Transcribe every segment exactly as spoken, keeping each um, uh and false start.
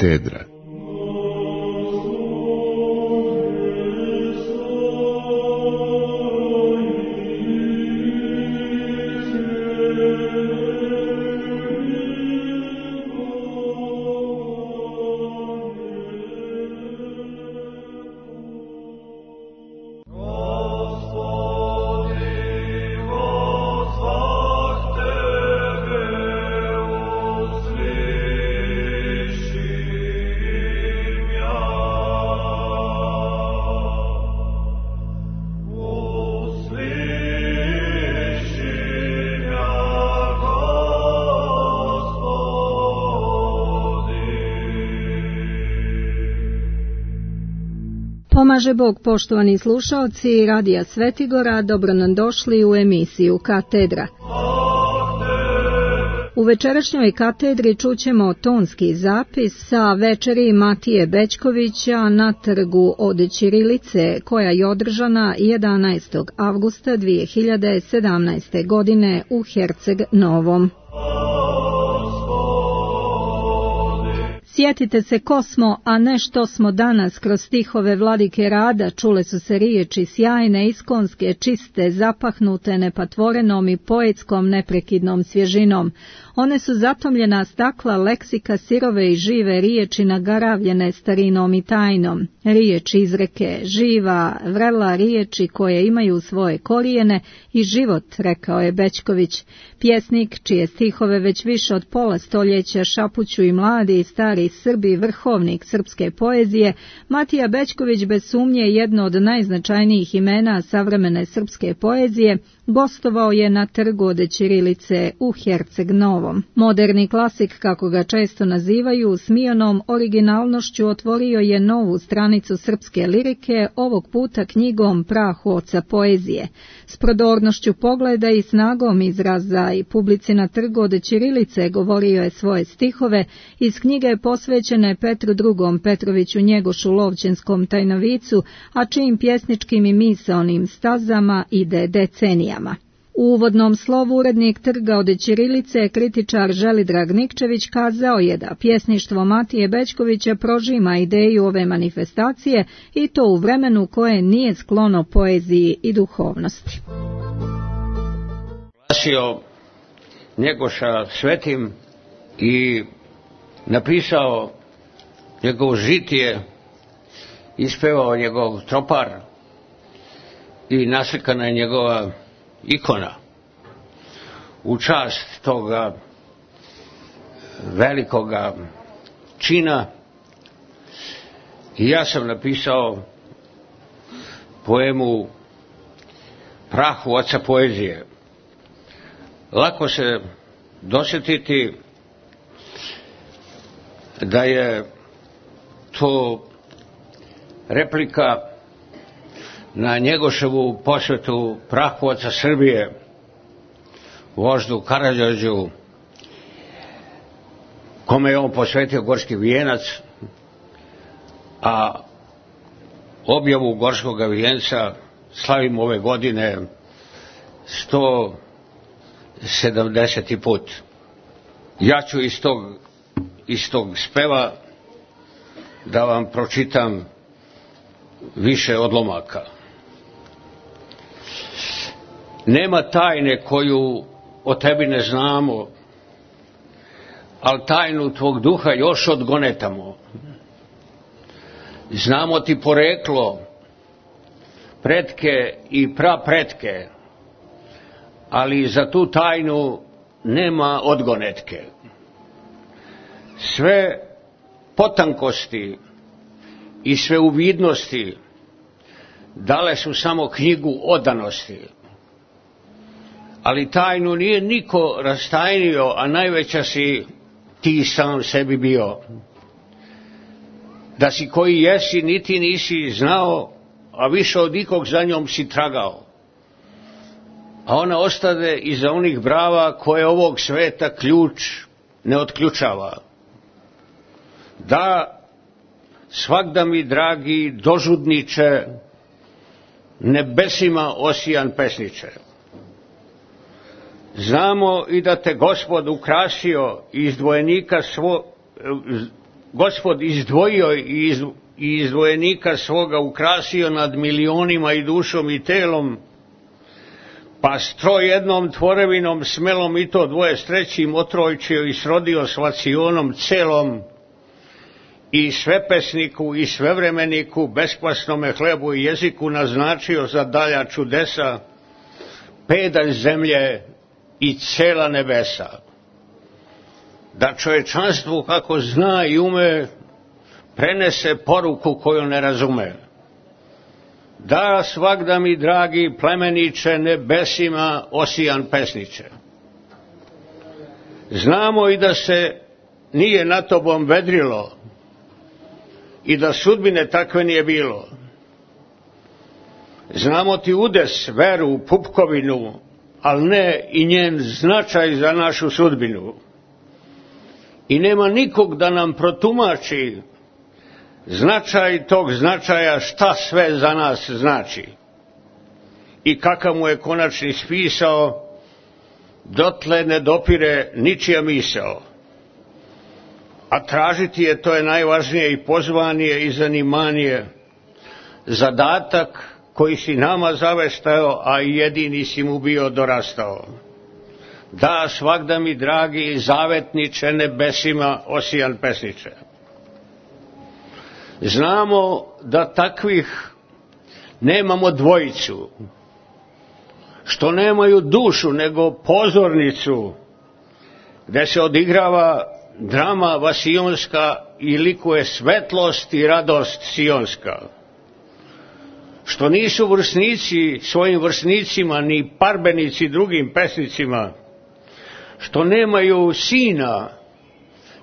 Katedra. Pomaže Bog, poštovani slušaoci Radija Svetigora, dobro nam došli u emisiju Katedra. U večerašnjoj katedri čućemo tonski zapis sa večeri Matije Bećkovića na trgu od Ćirilice, koja je održana jedanaestog avgusta dvije hiljade sedamnaeste. godine u Herceg Novom. Sjetite se ko smo, a ne što smo danas. Kroz stihove Vladike Rada čule su se riječi sjajne, iskonske, čiste, zapahnute nepatvorenom i poetskom neprekidnom svježinom. One su zatomljena stakla leksika sirove i žive riječi nagaravljene starinom i tajnom. Riječi izreke, živa, vrela riječi koje imaju svoje korijene i život, rekao je Bećković. Pjesnik, čije stihove već više od pola stoljeća šapuću i mladi i stari Srbi, vrhovnik srpske poezije, Matija Bećković bez sumnje jedno od najznačajnijih imena savremene srpske poezije, gostovao je na trgu od Ćirilice u Herceg Novom. Moderni klasik, kako ga često nazivaju, smijonom originalnošću otvorio je novu stranicu srpske lirike, ovog puta knjigom Prah oca poezije. S prodornošću pogleda i snagom izraza i publici na trgu od Ćirilice govorio je svoje stihove iz knjige posvećene Petru drugom Petroviću Njegošu Lovćenskom Tajnovicu, a čijim pjesničkim i misaonim stazama ide decenijama. U uvodnom slovu urednik trga od Ćirilice, kritičar Želidrag Nikčević, kazao je da pjesništvo Matije Bećkovića prožima ideju ove manifestacije i to u vremenu koje nije sklono poeziji i duhovnosti. Glasio Njegoša svetim i napisao njegov žitije, ispevao njegov tropar i naslikana je njegova ikona u čast toga velikoga čina. I ja sam napisao poemu Prahu oca poezije. Lako se dosjetiti da je to replika na Njegoševu posvetu Prahu oca Srbije, voždu Karađorđu, kome je on posvetio Gorski vijenac, a objavu Gorskoga vijenca slavimo ove godine sto sedamdeseti put. Ja ću iz tog, iz tog speva da vam pročitam više odlomaka. Nema tajne koju o tebi ne znamo, al tajnu tvog duha još odgonetamo. Znamo ti poreklo, pretke i prapretke, ali za tu tajnu nema odgonetke. Sve potankosti i sve uvidnosti dale su samo knjigu odanosti. Ali tajnu nije niko rastajnio, a najveća si ti sam sebi bio. Da si koji jesi, niti nisi znao, a više od ikog za njom si tragao. A ona ostade iza onih brava koje ovog sveta ključ ne otključava. Da, svakda mi, dragi dožudniče, nebesima osijan pesniče. Znamo i da te Gospod ukrasio i izdvojenika svo, Gospod izdvojio i izdvojenika svoga ukrasio nad milionima i dušom i telom, pa stro jednom tvorevinom smelom i to dvoje s trećim otrojčio i srodio s vacionom celom i svepesniku i svevremeniku, beskvasnome hlebu i jeziku naznačio za dalja čudesa, pedalj zemlje i cela nebesa. Da čovečanstvu kako zna i ume prenese poruku koju ne razume. Da svagda mi dragi plemeniče nebesima osijan pesniče. Znamo i da se nije na tobom vedrilo i da sudbine takve nije bilo. Znamo ti udes, veru, pupkovinu, ali ne i njen značaj za našu sudbinu. I nema nikog da nam protumači značaj tog značaja, šta sve za nas znači i kakav mu je konačni spisao, dotle ne dopire ničija misao. A tražiti je, to je najvažnije i pozvanije i zanimanije, zadatak koji si nama zaveštao, a i jedini si mu bio dorastao. Da svagda mi dragi zavetniče nebesima osijan pesniče. Znamo da takvih nemamo dvojicu, što nemaju dušu nego pozornicu, gde se odigrava drama vasionska i likuje svetlost i radost sionska. Što nisu vrsnici svojim vrsnicima ni parbenici drugim pesnicima, što nemaju sina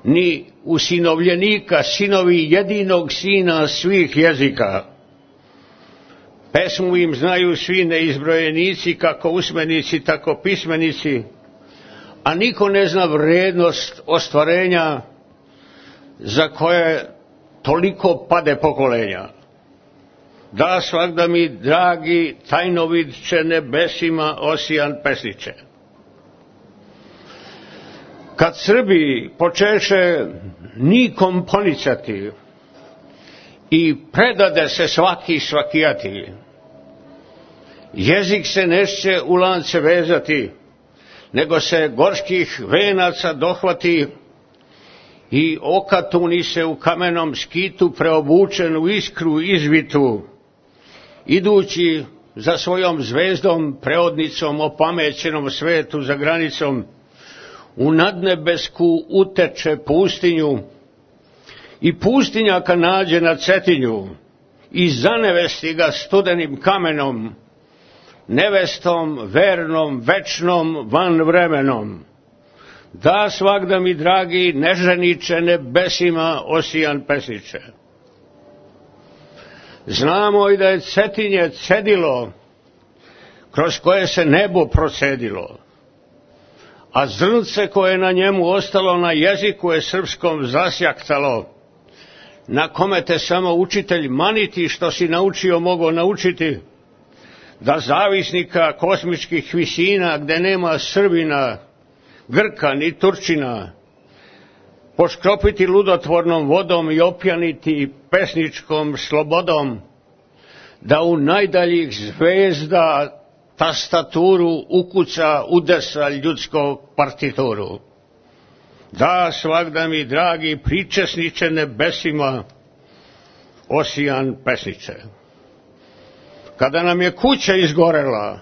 ni usinovljenika, sinovi jedinog sina svih jezika. Pesmu im znaju svi neizbrojenici, kako usmenici, tako pismenici, a niko ne zna vrednost ostvarenja za koje toliko pade pokolenja. Da svagda mi dragi tajnovidče nebesima osijan pesniče. Kad Srbi počeše nikom ponicati i predade se svaki svakijati, jezik se neće u lance vezati, nego se gorskih venaca dohvati i okatuni se u kamenom skitu preobučen u iskru izvitu, idući za svojom zvezdom, preodnicom, opamećenom svetu za granicom, u nadnebesku uteče pustinju i pustinjaka nađe na Cetinju i zanevesti ga studenim kamenom, nevestom, vernom, večnom, van vremenom. Da svagda mi dragi neženiče nebesima osijan pesniče. Znamo i da je Cetinje cedilo kroz koje se nebo procedilo, a zrnce koje je na njemu ostalo na jeziku je srpskom zasjaktalo, na kome te samo učitelj maniti što si naučio mogo naučiti, da zavisnika kosmičkih visina gde nema Srbina, Grka ni Turčina, poškropiti ludotvornom vodom i opjaniti pesničkom slobodom, da u najdaljih zvezda tastaturu ukuca udesa ljudskog partituru. Da svagda mi dragi pričesniče nebesima osijan pesniče. Kada nam je kuća izgorela,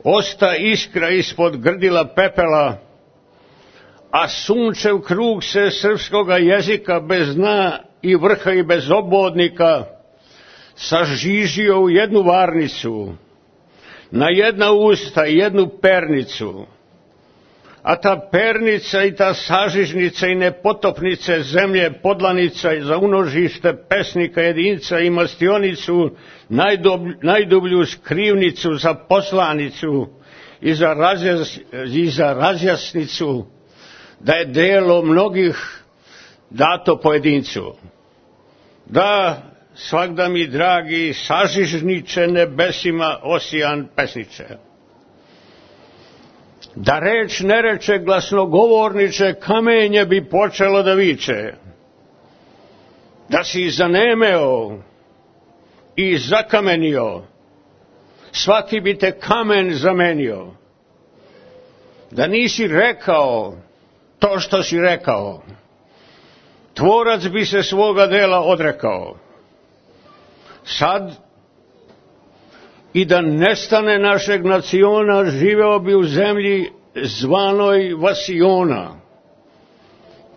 osta iskra ispod grdila pepela, a sunčev krug se srpskoga jezika bez dna i vrha i bez obodnika sažižio u jednu varnicu, na jedna usta i jednu pernicu, a ta pernica i ta sažižnica i nepotopnice zemlje podlanica i za unožište pesnika jedinca i mastionicu, najdublju, najdublju skrivnicu za poslanicu i za, razjas, i za razjasnicu, da je delo mnogih dato pojedincu. Da svagda mi dragi sažižniče nebesima osijan pesniče. Da reč ne reče glasnogovorniče, kamenje bi počelo da viče. da si zanemeo i zakamenio, svaki bi te kamen zamenio, da nisi rekao to što si rekao, tvorac bi se svoga dela odrekao. Sad, i da nestane našeg naciona, živeo bi u zemlji zvanoj Vasiona.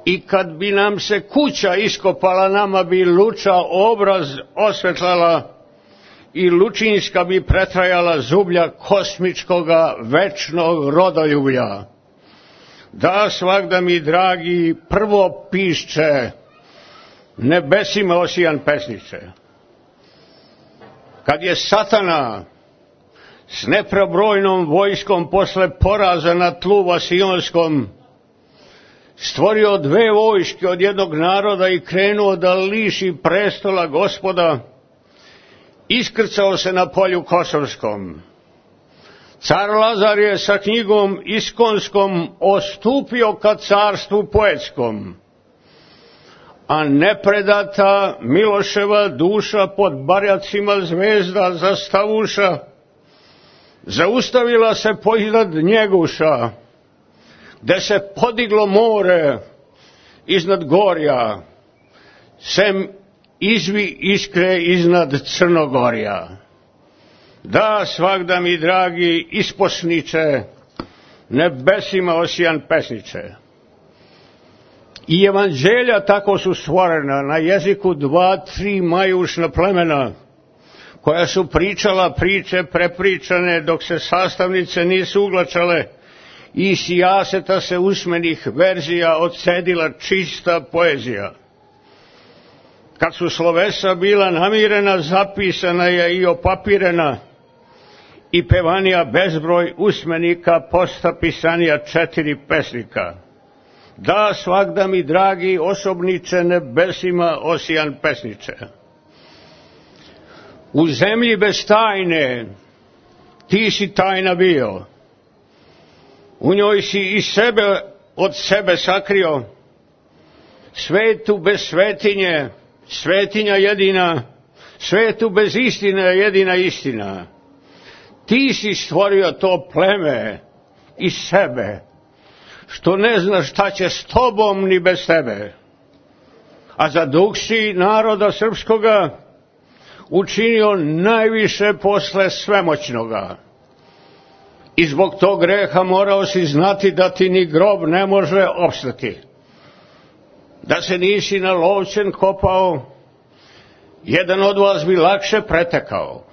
I kad bi nam se kuća iskopala, nama bi luča obraz osvetlala i lučinska bi pretrajala zublja kosmičkoga večnog rodoljublja. Da svagda mi, dragi, prvo pišće, nebesima osijan pesniče. Kad je Satana s neprebrojnom vojskom posle poraza na tlu Vasionskom stvorio dve vojske od jednog naroda i krenuo da liši prestola Gospoda, iskrcao se na polju Kosovskom. Car Lazar je sa knjigom iskonskom ostupio ka carstvu poetskom, a nepredata Miloševa duša pod barjacima zvezda zastavuša, zaustavila se poiznad Njeguša, gde se podiglo more iznad gorja, sem izvi iskre iznad Crnogorja. Da svagda mi, dragi isposniče, nebesima osijan pesniče. I evanđelja tako su stvorena na jeziku dva, tri majušna plemena, koja su pričala priče prepričane dok se sastavnice nisu uglačale i iz sijaseta se usmenih verzija odcedila čista poezija. Kad su slovesa bila namirena, zapisana je i opapirena i pevanija bezbroj usmenika, posta pisanija četiri pesnika. Da svagda mi, dragi osobniče, nebesima osijan pesniče. U zemlji bez tajne ti si tajna bio, u njoj si i sebe od sebe sakrio, svetu bez svetinje, svetinja jedina, svetu bez istine jedina istina. Ti si stvorio to pleme iz sebe, što ne znaš šta će s tobom ni bez tebe. A za duh si naroda srpskoga učinio najviše posle svemoćnoga. I zbog tog greha morao si znati da ti ni grob ne može opstati. Da se nisi na lovčen kopao, jedan od vas bi lakše pretekao.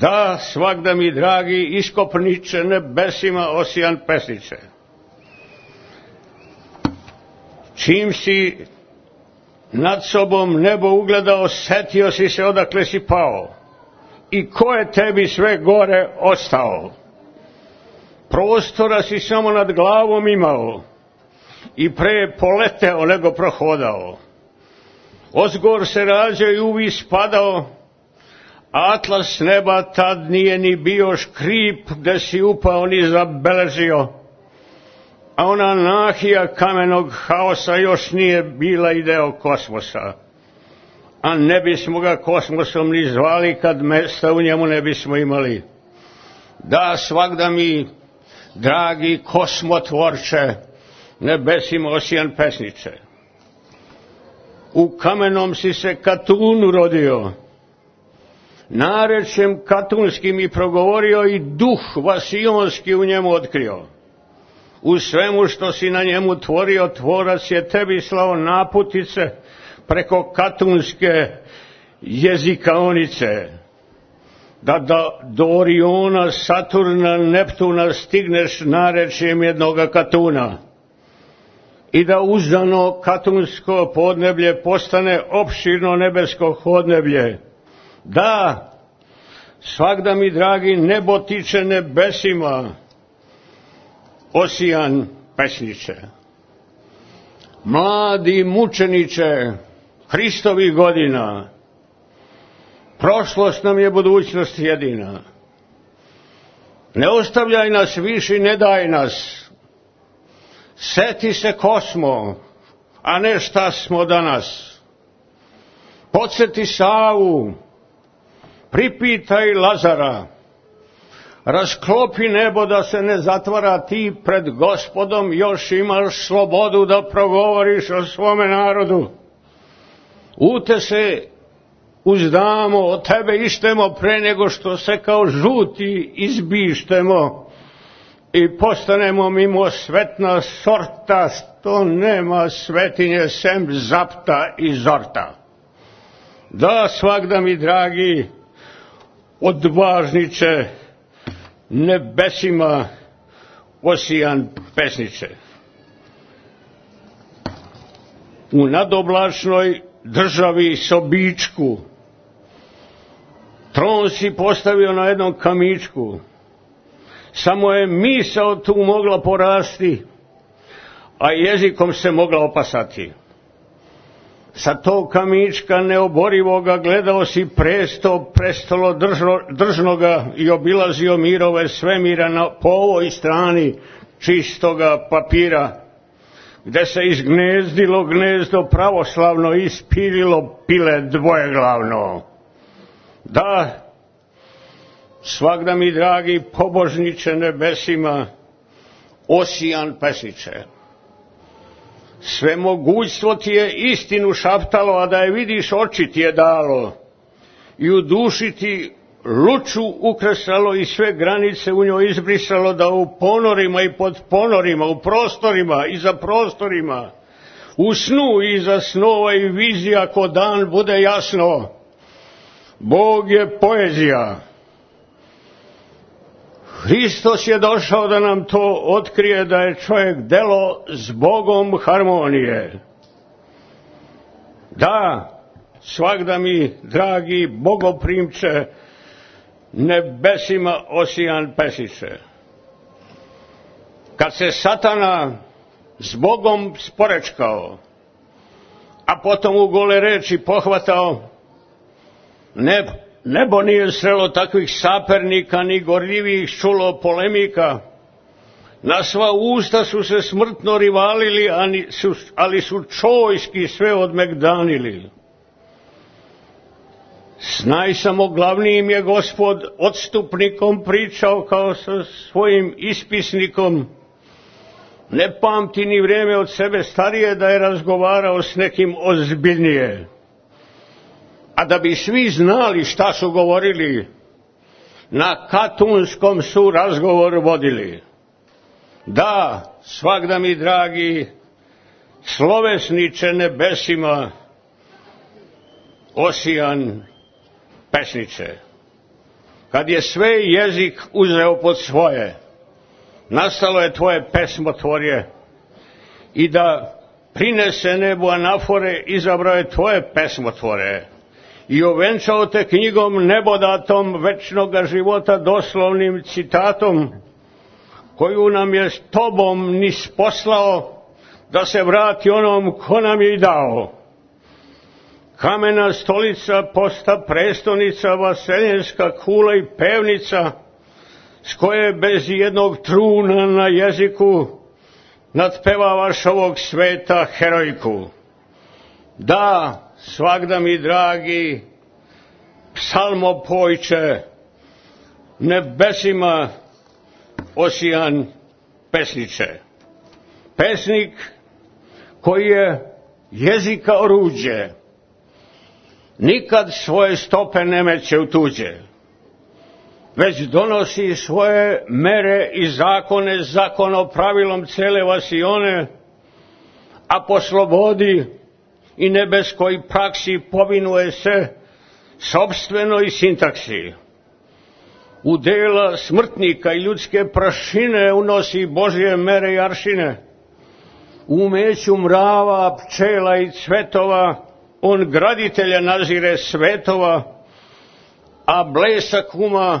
Da svagda mi, dragi iskopniče, nebesima osijan pesniče. Čim si nad sobom nebo ugledao, setio si se odakle si pao i ko je tebi sve gore ostao. Prostora si samo nad glavom imao i pre poleteo nego prohodao. Ozgor se rađao i uvis padao, atlas neba tad nije ni bio škrip gde si upao ni zabeležio, a ona nahija kamenog haosa još nije bila i deo kosmosa. A ne bismo ga kosmosom ni zvali kad mesta u njemu ne bismo imali. Da svagda mi, dragi kosmotvorče, nebesima osijan pesniče. U kamenom si se Katun rodio, narečjem katunskim i progovorio i duh vasionski u njemu otkrio. U svemu što si na njemu tvorio, tvorac je tebi slao naputice preko katunske jezikaonice, da, da do Oriona, Saturna, Neptuna stigneš narečjem jednoga Katuna i da uzdano katunsko podneblje postane opširno nebesko hodneblje. Da, svagda mi, dragi, nebo tiče nebesima osijan pesniče. Mladi mučeniče Hristovih godina, prošlost nam je budućnost jedina. Ne ostavljaj nas više i ne daj nas. Seti se ko smo, a ne šta smo danas. Podsjeti Savu, pripitaj Lazara, rasklopi nebo da se ne zatvara, ti pred Gospodom još imaš slobodu da progovoriš o svome narodu. U te se uzdamo, od tebe ištemo pre nego što se kao žuti izbištemo i postanemo mimo svetna sorta, što nema svetinje sem zapta i zorta. Da, svagda mi dragi, odvažniče, nebesima osijan pesniče. U nadoblačnoj državi sobičku tron si postavio na jednom kamičku, samo je misao tu mogla porasti, a jezikom se mogla opasati. Sa tog kamička neoborivoga gledao si presto, prestolo držno, držnoga i obilazio mirove svemira na, po ovoj strani čistoga papira, gde se izgnezdilo gnezdo pravoslavno i ispililo pile dvojeglavno. Da, svagda mi dragi pobožniče nebesima, osijan pesniče, sve mogućstvo ti je istinu šaptalo, a da je vidiš oči ti je dalo i u duši ti luču ukresalo i sve granice u njoj izbrisalo, da u ponorima i pod ponorima, u prostorima i za prostorima, u snu i za snova i vizija ko dan bude jasno. Bog je poezija. Hristos je došao da nam to otkrije, da je čovjek delo s Bogom harmonije. Da, svagda mi, dragi bogoprimče, nebesima osijan pesniče. Kad se Satana s Bogom sporečkao, a potom u gole reči pohvatao, ne, nebo nije srelo takvih sapernika, ni gorljivih čulo polemika. Na sva usta su se smrtno rivalili, ali su čojski sve odmegdanili. S najsamoglavnijim je Gospod odstupnikom pričao kao sa svojim ispisnikom. Ne pamti ni vrijeme od sebe starije da je razgovarao s nekim ozbiljnije. A da bi svi znali šta su govorili, na Katunskom su razgovor vodili. Da, svagda mi dragi, slovesniče nebesima, osijan pesniče. Kad je sve jezik uzeo pod svoje, nastalo je tvoje pesmotvorje, i da prinese nebu anafore, izabrao je tvoje pesmotvore i ovenčao te knjigom nebodatom večnoga života doslovnim citatom, koju nam je s tobom nis poslao, da se vrati onom ko nam je i dao. Kamena stolica posta prestonica, vaseljenska kula i pevnica, s koje bez jednog truna na jeziku nadpevavaš ovog sveta herojku. Da, svagda mi dragi, psalmopojče, nebesima osijan pesniče. Pesnik koji je jezika oruđe, nikad svoje stope ne meće u tuđe, već donosi svoje mere i zakone zakonopravilom cele vasione, a po slobodi i nebeskoj praksi povinuje se sopstvenoj sintaksi. U dela smrtnika i ljudske prašine unosi Božje mere i aršine. U umeću mrava, pčela i cvetova on graditelja nazire svetova, a blesak uma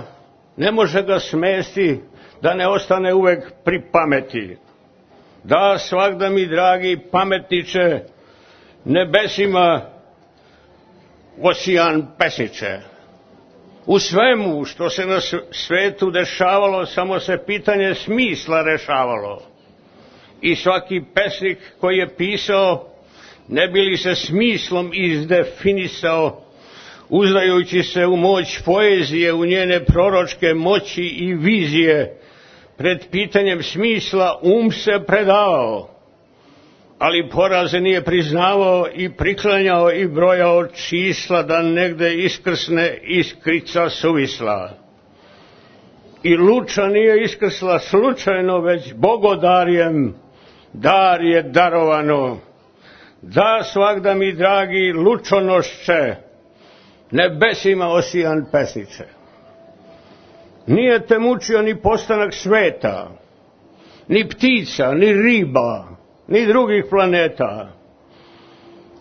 ne može ga smesti da ne ostane uvek pri pameti. Da, svagda mi dragi pametniče, nebesima osijan pesniče. U svemu što se na svetu dešavalo, samo se pitanje smisla rešavalo. I svaki pesnik koji je pisao, ne bi li se smislom izdefinisao, uzdajući se u moć poezije, u njene proročke moći i vizije, pred pitanjem smisla um se predavao, ali poraze nije priznavao i priklanjao i brojao čisla da negde iskrsne iskrica suvisla. I luča nije iskrsla slučajno, već bogodarjem, dar je darovano. Da svagda mi, dragi lučonošče, nebesima osijan pesniče. Nije te mučio ni postanak sveta, ni ptica, ni riba, ni drugih planeta,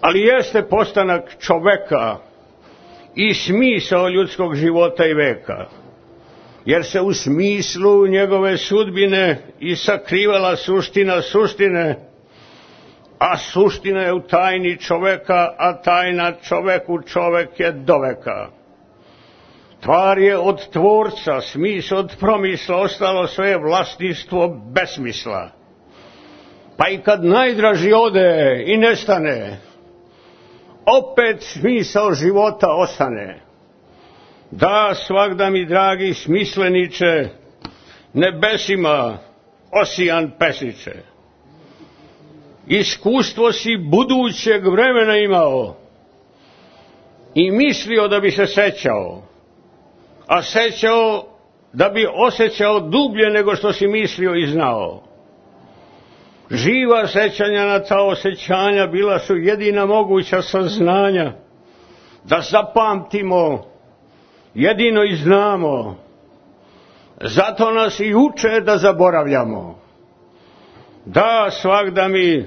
ali jeste postanak čoveka i smisao ljudskog života i veka, jer se u smislu njegove sudbine i sakrivala suština suštine, a suština je u tajni čoveka, a tajna čoveku čovek je doveka. Tvar je od tvorca, smisao od promisla, ostalo sve vlasništvo besmisla. Pa i kad najdraži ode i nestane, opet smisao života ostane. Da svagda mi, dragi smisleniče, nebesima osijan pesniče. Iskustvo si budućeg vremena imao i mislio da bi se sećao, a sećao da bi osjećao dublje nego što si mislio i znao. Živa sećanja na ta osjećanja bila su jedina moguća saznanja da zapamtimo, jedino i znamo. Zato nas i uče da zaboravljamo. Da svagda mi,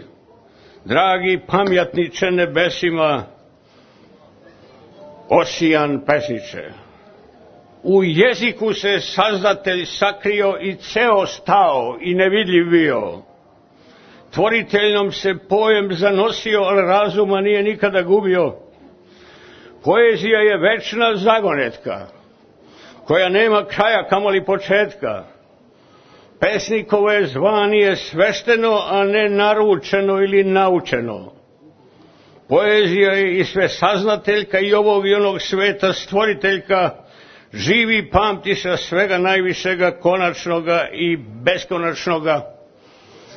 dragi pamjatniče nebesima, osijan pesniče. U jeziku se Sazdatelj sakrio i ceo stao i nevidljiv bio. Tvoriteljnom se pojem zanosio, ali razuma nije nikada gubio. Poezija je večna zagonetka, koja nema kraja kamoli početka. Pesnikovo je zvanje svešteno, a ne naručeno ili naučeno. Poezija je i sve saznateljka i ovog i onog sveta stvoriteljka, živi pamtiša svega najvišega, konačnoga i beskonačnoga.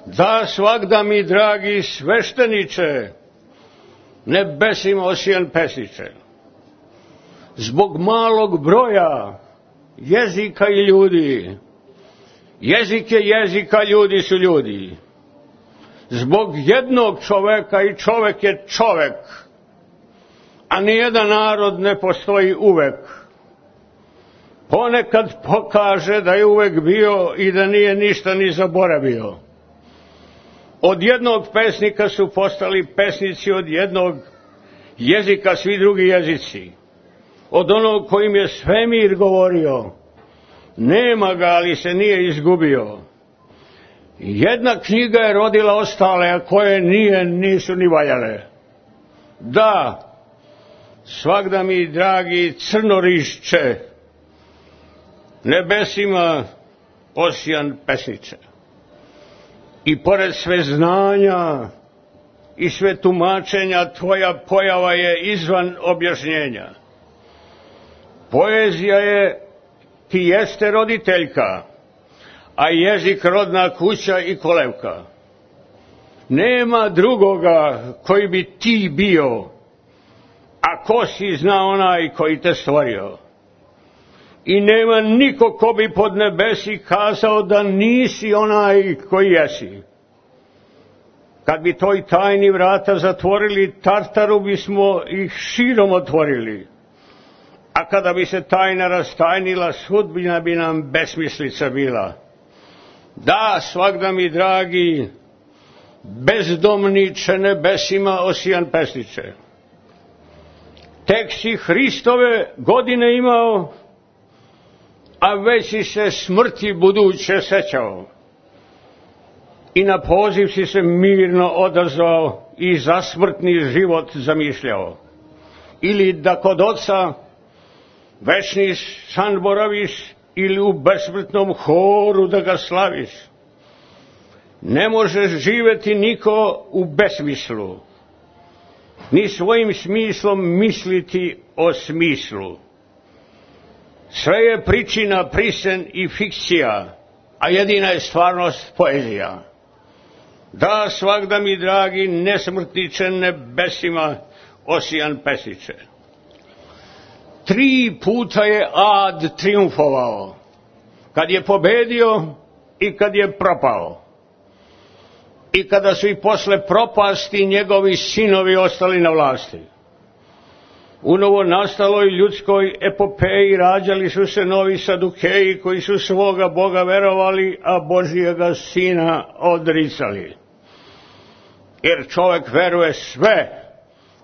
Da svagda mi, dragi svešteniče, nebesima osijan pesniče. Zbog malog broja jezika i ljudi, jezik je jezika, ljudi su ljudi. Zbog jednog čoveka i čovek je čovek, a nijedan narod ne postoji uvek. Ponekad pokaže da je uvek bio i da nije ništa ni zaboravio. Od jednog pesnika su postali pesnici, od jednog jezika svi drugi jezici. Od onog kojim je svemir govorio, nema ga, ali se nije izgubio. Jedna knjiga je rodila ostale, a koje nije, nisu ni valjale. Da, svagda mi, dragi crnorišče, nebesima osijan pesniče. I pored sve znanja i sve tumačenja, tvoja pojava je izvan objašnjenja. Poezija je, ti jeste roditeljka, a jezik rodna kuća i kolevka. Nema drugoga koji bi ti bio, a ko si zna onaj koji te stvorio. I nema niko ko bi pod nebesi kazao da nisi onaj koji jesi. Kad bi toj tajni vrata zatvorili, Tartaru bismo ih širom otvorili. A kada bi se tajna rastajnila, sudbina bi nam besmislica bila. Da, svagda mi, dragi, bezdomniče nebesima osijan pesniče. Tek si Hristove godine imao, a već si se smrti buduće sećao. I na poziv si se mirno odazvao i za smrtni život zamišljao. Ili da kod oca večni san boraviš, ili u besmrtnom horu da ga slaviš. Ne možeš živeti niko u besmislu. ni svojim smislom misliti o smislu. Sve je pričina, prisen i fikcija, a jedina je stvarnost poezija. Da, svagda mi dragi nesmrtniče nebesima osijan pesniče. Tri puta je ad triumfovao, kad je pobedio i kad je propao. I kada su i posle propasti njegovi sinovi ostali na vlasti. U novonastaloj ljudskoj epopeji rađali su se novi sadukeji koji su svoga Boga verovali, a Božijega sina odricali. Jer čovjek veruje sve,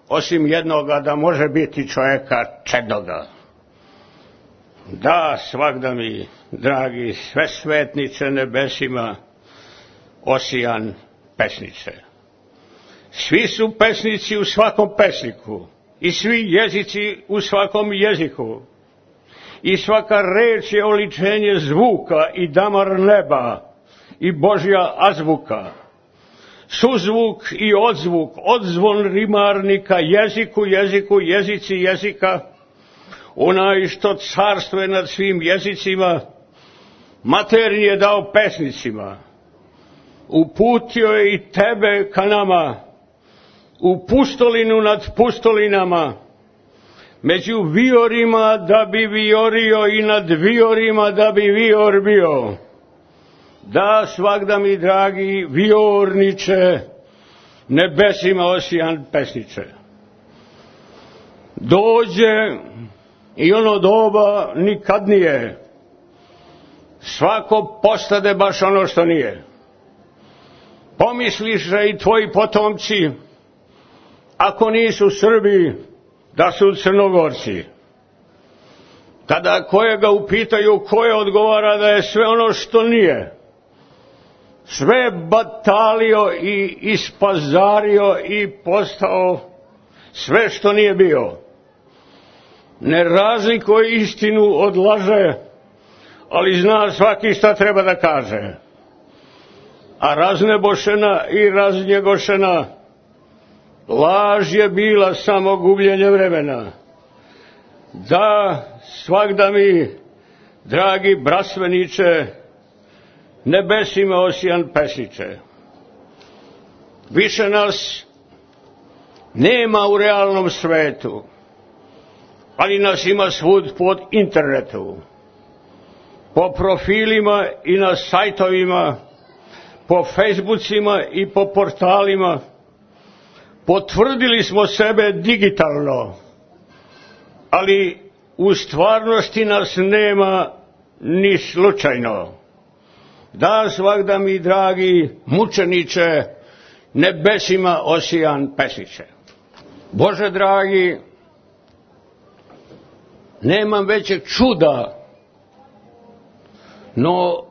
osim jednoga, da može biti čovjeka čednoga. Da, svagda mi, dragi sve svetniče nebesima, osijan pesniče. Svi su pesnici u svakom pesniku i svi jezici u svakom jeziku. I svaka reč je oličenje zvuka i damar neba i Božja azbuka. Suzvuk i odzvuk, odzvon rimarnika, jeziku, jeziku, jezici jezika, onaj što carstve nad svim jezicima, maternji je dao pesnicima. Uputio je i tebe ka nama, u pustolinu nad pustolinama, među viorima da bi viorio i nad viorima da bi vior bio. Da, svagda mi dragi viorniče, nebesima osijan pesniče. Dođe i ono doba nikad nije. Svako postade baš ono što nije. Pomisliš da i tvoji potomci, ako nisu Srbi, da su Crnogorci. Kada kojega upitaju, koje odgovara da je sve ono što nije. Sve batalio i ispazario i postao sve što nije bio. Ne razlikuje istinu od laže, ali zna svaki šta treba da kaže. A raznebošena i raznjegošena laž je bila samo gubljenje vremena. Da, svagda mi, dragi brasveniče, nebesima osijan pesniče. Više nas nema u realnom svetu, ali nas ima svud pod internetu. Po profilima i na sajtovima, po Facebookima i po portalima. Potvrdili smo sebe digitalno, ali u stvarnosti nas nema ni slučajno. Da, svagda mi dragi mučeniče, nebesima osijan pesniče. Bože dragi, nemam većeg čuda, no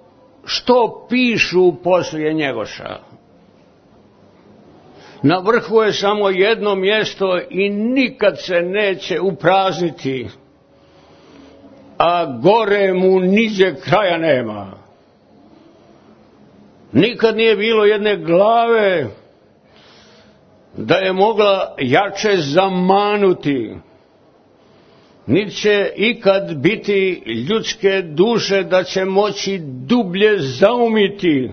što pišu poslije Njegoša? Na vrhu je samo jedno mjesto i nikad se neće uprazniti, a gore mu niđe kraja nema. Nikad nije bilo jedne glave da je mogla jače zamanuti. Niti će ikad biti ljudske duše da će moći dublje zaumiti,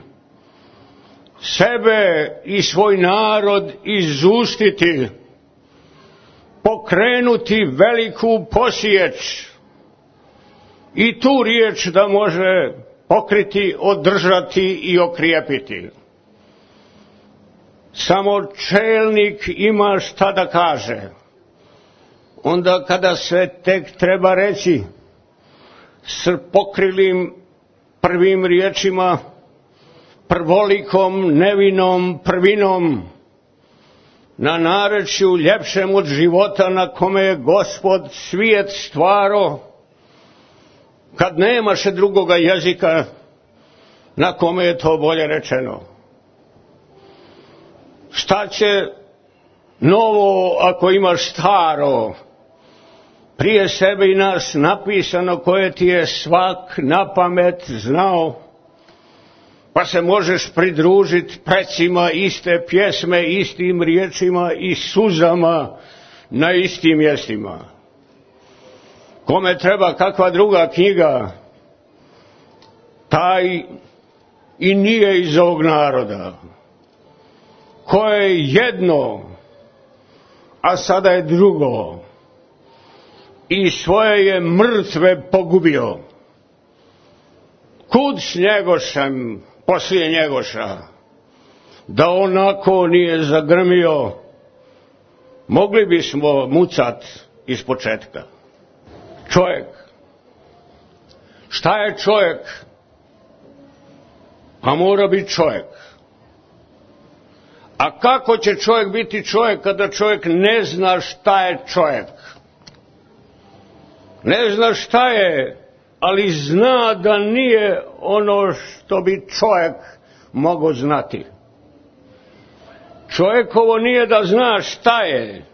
sebe i svoj narod izustiti, pokrenuti veliku posječ i tu riječ da može pokriti, održati i okrijepiti. Samo čelnik ima šta da kaže. Onda kada se tek treba reći s pokrilim prvim riječima, prvolikom, nevinom, prvinom, na narečju ljepšem od života na kome je Gospod svijet stvaro, kad nemaše drugoga jezika na kome je to bolje rečeno. Šta će novo ako imaš staro, prije sebe i nas napisano koje ti je svak na pamet znao, pa se možeš pridružiti precima iste pjesme, istim riječima i suzama na istim mjestima. Kome treba kakva druga knjiga, taj i nije iz ovog naroda. Ko je jedno, a sada je drugo, i svoje je mrtve pogubio. Kud s Njegošem poslije Njegoša, da onako nije zagrmio, mogli bismo mucat iz početka. Čovjek. Šta je čovjek? A mora biti čovjek. A kako će čovjek biti čovjek kada čovjek ne zna šta je čovjek? Ne zna šta je, ali zna da nije ono što bi čovjek mogao znati. Čovjekovo nije da zna šta je.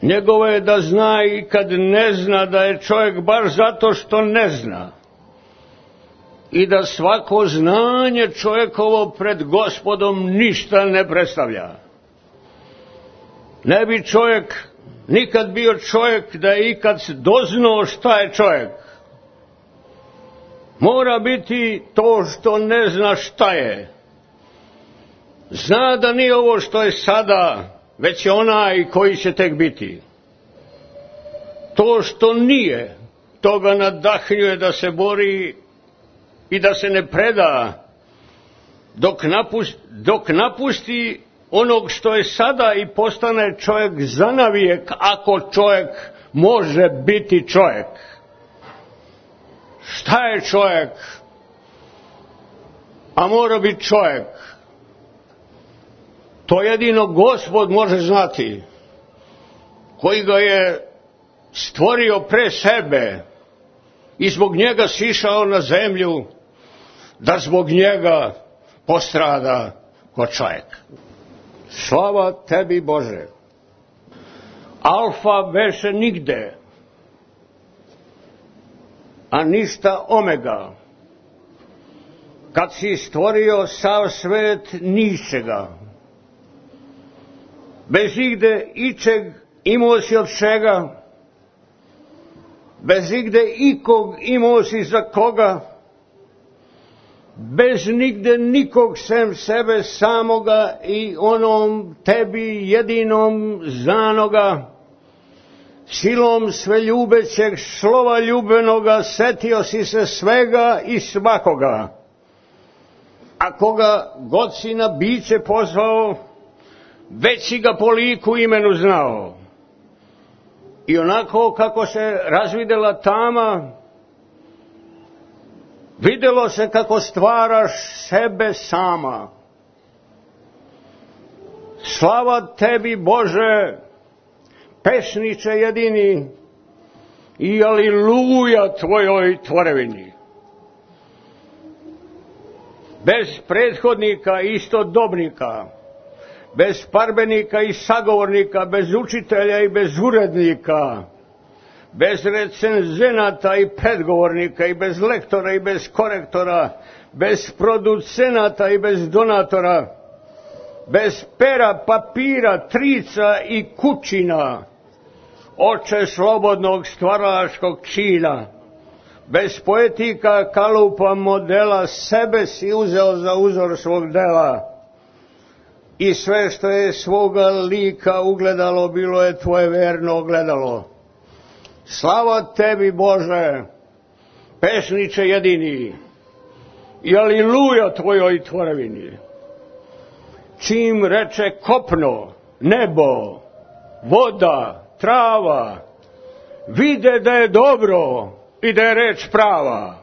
Njegovo je da zna i kad ne zna da je čovjek baš zato što ne zna. I da svako znanje čovjekovo pred Gospodom ništa ne predstavlja. Ne bi čovjek nikad bio čovjek da je ikad doznao šta je čovjek. Mora biti to što ne zna šta je. Zna da nije ovo što je sada, već je onaj koji će tek biti. To što nije, to ga nadahnjuje da se bori i da se ne preda dok napusti, dok napusti onog što je sada i postane čovjek zanavijek, ako čovjek može biti čovjek. Šta je čovjek? A mora biti čovjek. To jedino Gospod može znati, koji ga je stvorio pre sebe i zbog njega sišao na zemlju, da zbog njega postrada ko čovjek. Slava tebi, Bože. Alfa beše nigde, a ništa omega. Kad si stvorio sav svet ničega, bez igde ičeg imao si od čega, bez igde ikog imao si za koga, bez nigde nikog sem sebe samoga i onom tebi jedinom zanoga, silom sveljubećeg slova ljubenoga setio si se svega i svakoga, a koga god si na biće pozvao, već si ga po liku imenu znao. I onako kako se razvidela tama, videlo se kako stvaraš sebe sama. Slava tebi, Bože, pesniče jedini, i aliluja tvojoj tvorevini. Bez prethodnika i istodobnika, bez parbenika i sagovornika, bez učitelja i bez urednika, bez recenzenata i predgovornika i bez lektora i bez korektora, bez producenata i bez donatora, bez pera, papira, trica i kućina, oče slobodnog stvaralačkog čina, bez poetika, kalupa, modela, sebe si uzeo za uzor svog dela. I sve što je svoga lika ugledalo, bilo je tvoje verno ogledalo. Slava tebi, Bože, pesniče jedini, i aliluja tvojoj tvorevini. Čim reče kopno, nebo, voda, trava, vide da je dobro i da je reč prava.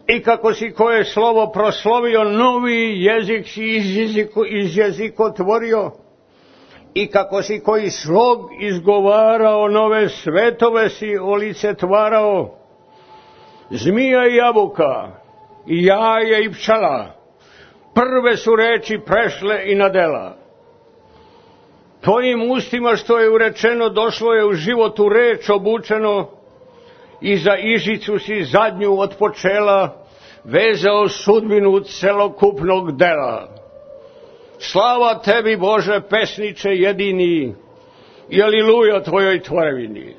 I kako si koje slovo proslovio, novi jezik si iz, jeziku, iz jezika tvorio. I kako si koji slog izgovarao, nove svetove si olicetvarao. Zmija i jabuka, i jaje i pčela, prve su reči prešle i na dela. Tvojim ustima što je urečeno, došlo je u životu reč obučeno, i za ižicu si zadnju od počela, vezao sudbinu celokupnog dela. Slava tebi, Bože, pesniče jedini, i aleluja tvojoj tvorevini.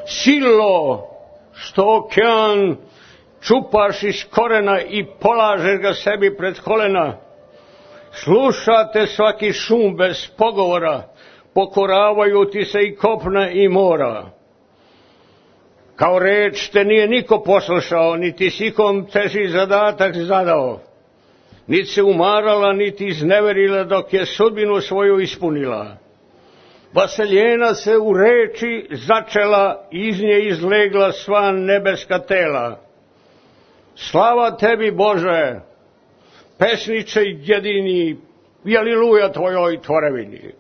Silo, što okean čupaš iz korena i polažeš ga sebi pred kolena, slušate svaki šum bez pogovora, pokoravaju ti se i kopna i mora. Kao reč te nije niko poslušao, niti s ikom teži zadatak zadao. Niti se umarala, niti izneverila dok je sudbinu svoju ispunila. Vaseljena se u reči začela, iz nje izlegla sva nebeska tela. Slava tebi, Bože, pesniče jedini, i aleluja tvojoj tvorevini.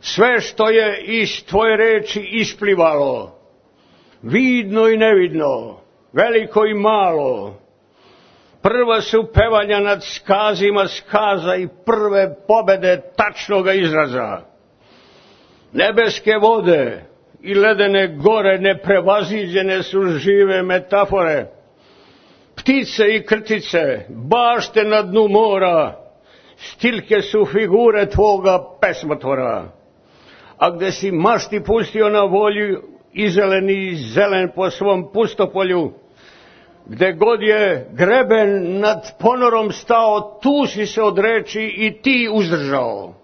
Sve što je iz tvoje reči isplivalo, vidno i nevidno, veliko i malo, prva su pevanja nad skazima skaza i prve pobede tačnoga izraza. Nebeske vode i ledene gore neprevaziđene su žive metafore. Ptice i krtice, bašte na dnu mora, stilke su figure tvoga pesmotvora. A gde si mašti pustio na volju i zeleni i zelen po svom pustopolju, gde god je greben nad ponorom stao, tu si se od reči i ti uzdržao.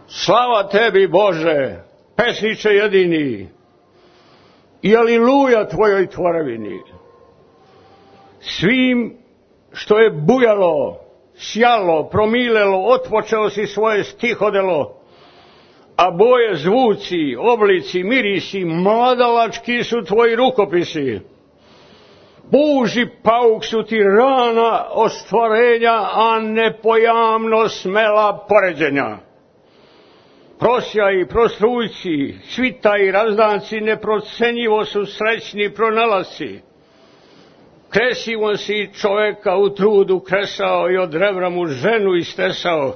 Slava tebi, Bože, pesniče jedini, i aleluja tvojoj tvorevini. Svim što je bujalo, sjalo, promilelo, otpočeo si svoje stihodelo, a boje, zvuci, oblici, mirisi, mladalački su tvoji rukopisi. Buži pauk su ti rana ostvarenja, a nepojamno smela poređenja. Prosjaj, prostrujci, svitaj, razdanci, neprocenjivo su srećni pronalasci. Kresivo si čoveka u trudu kresao i od rebra mu ženu istesao.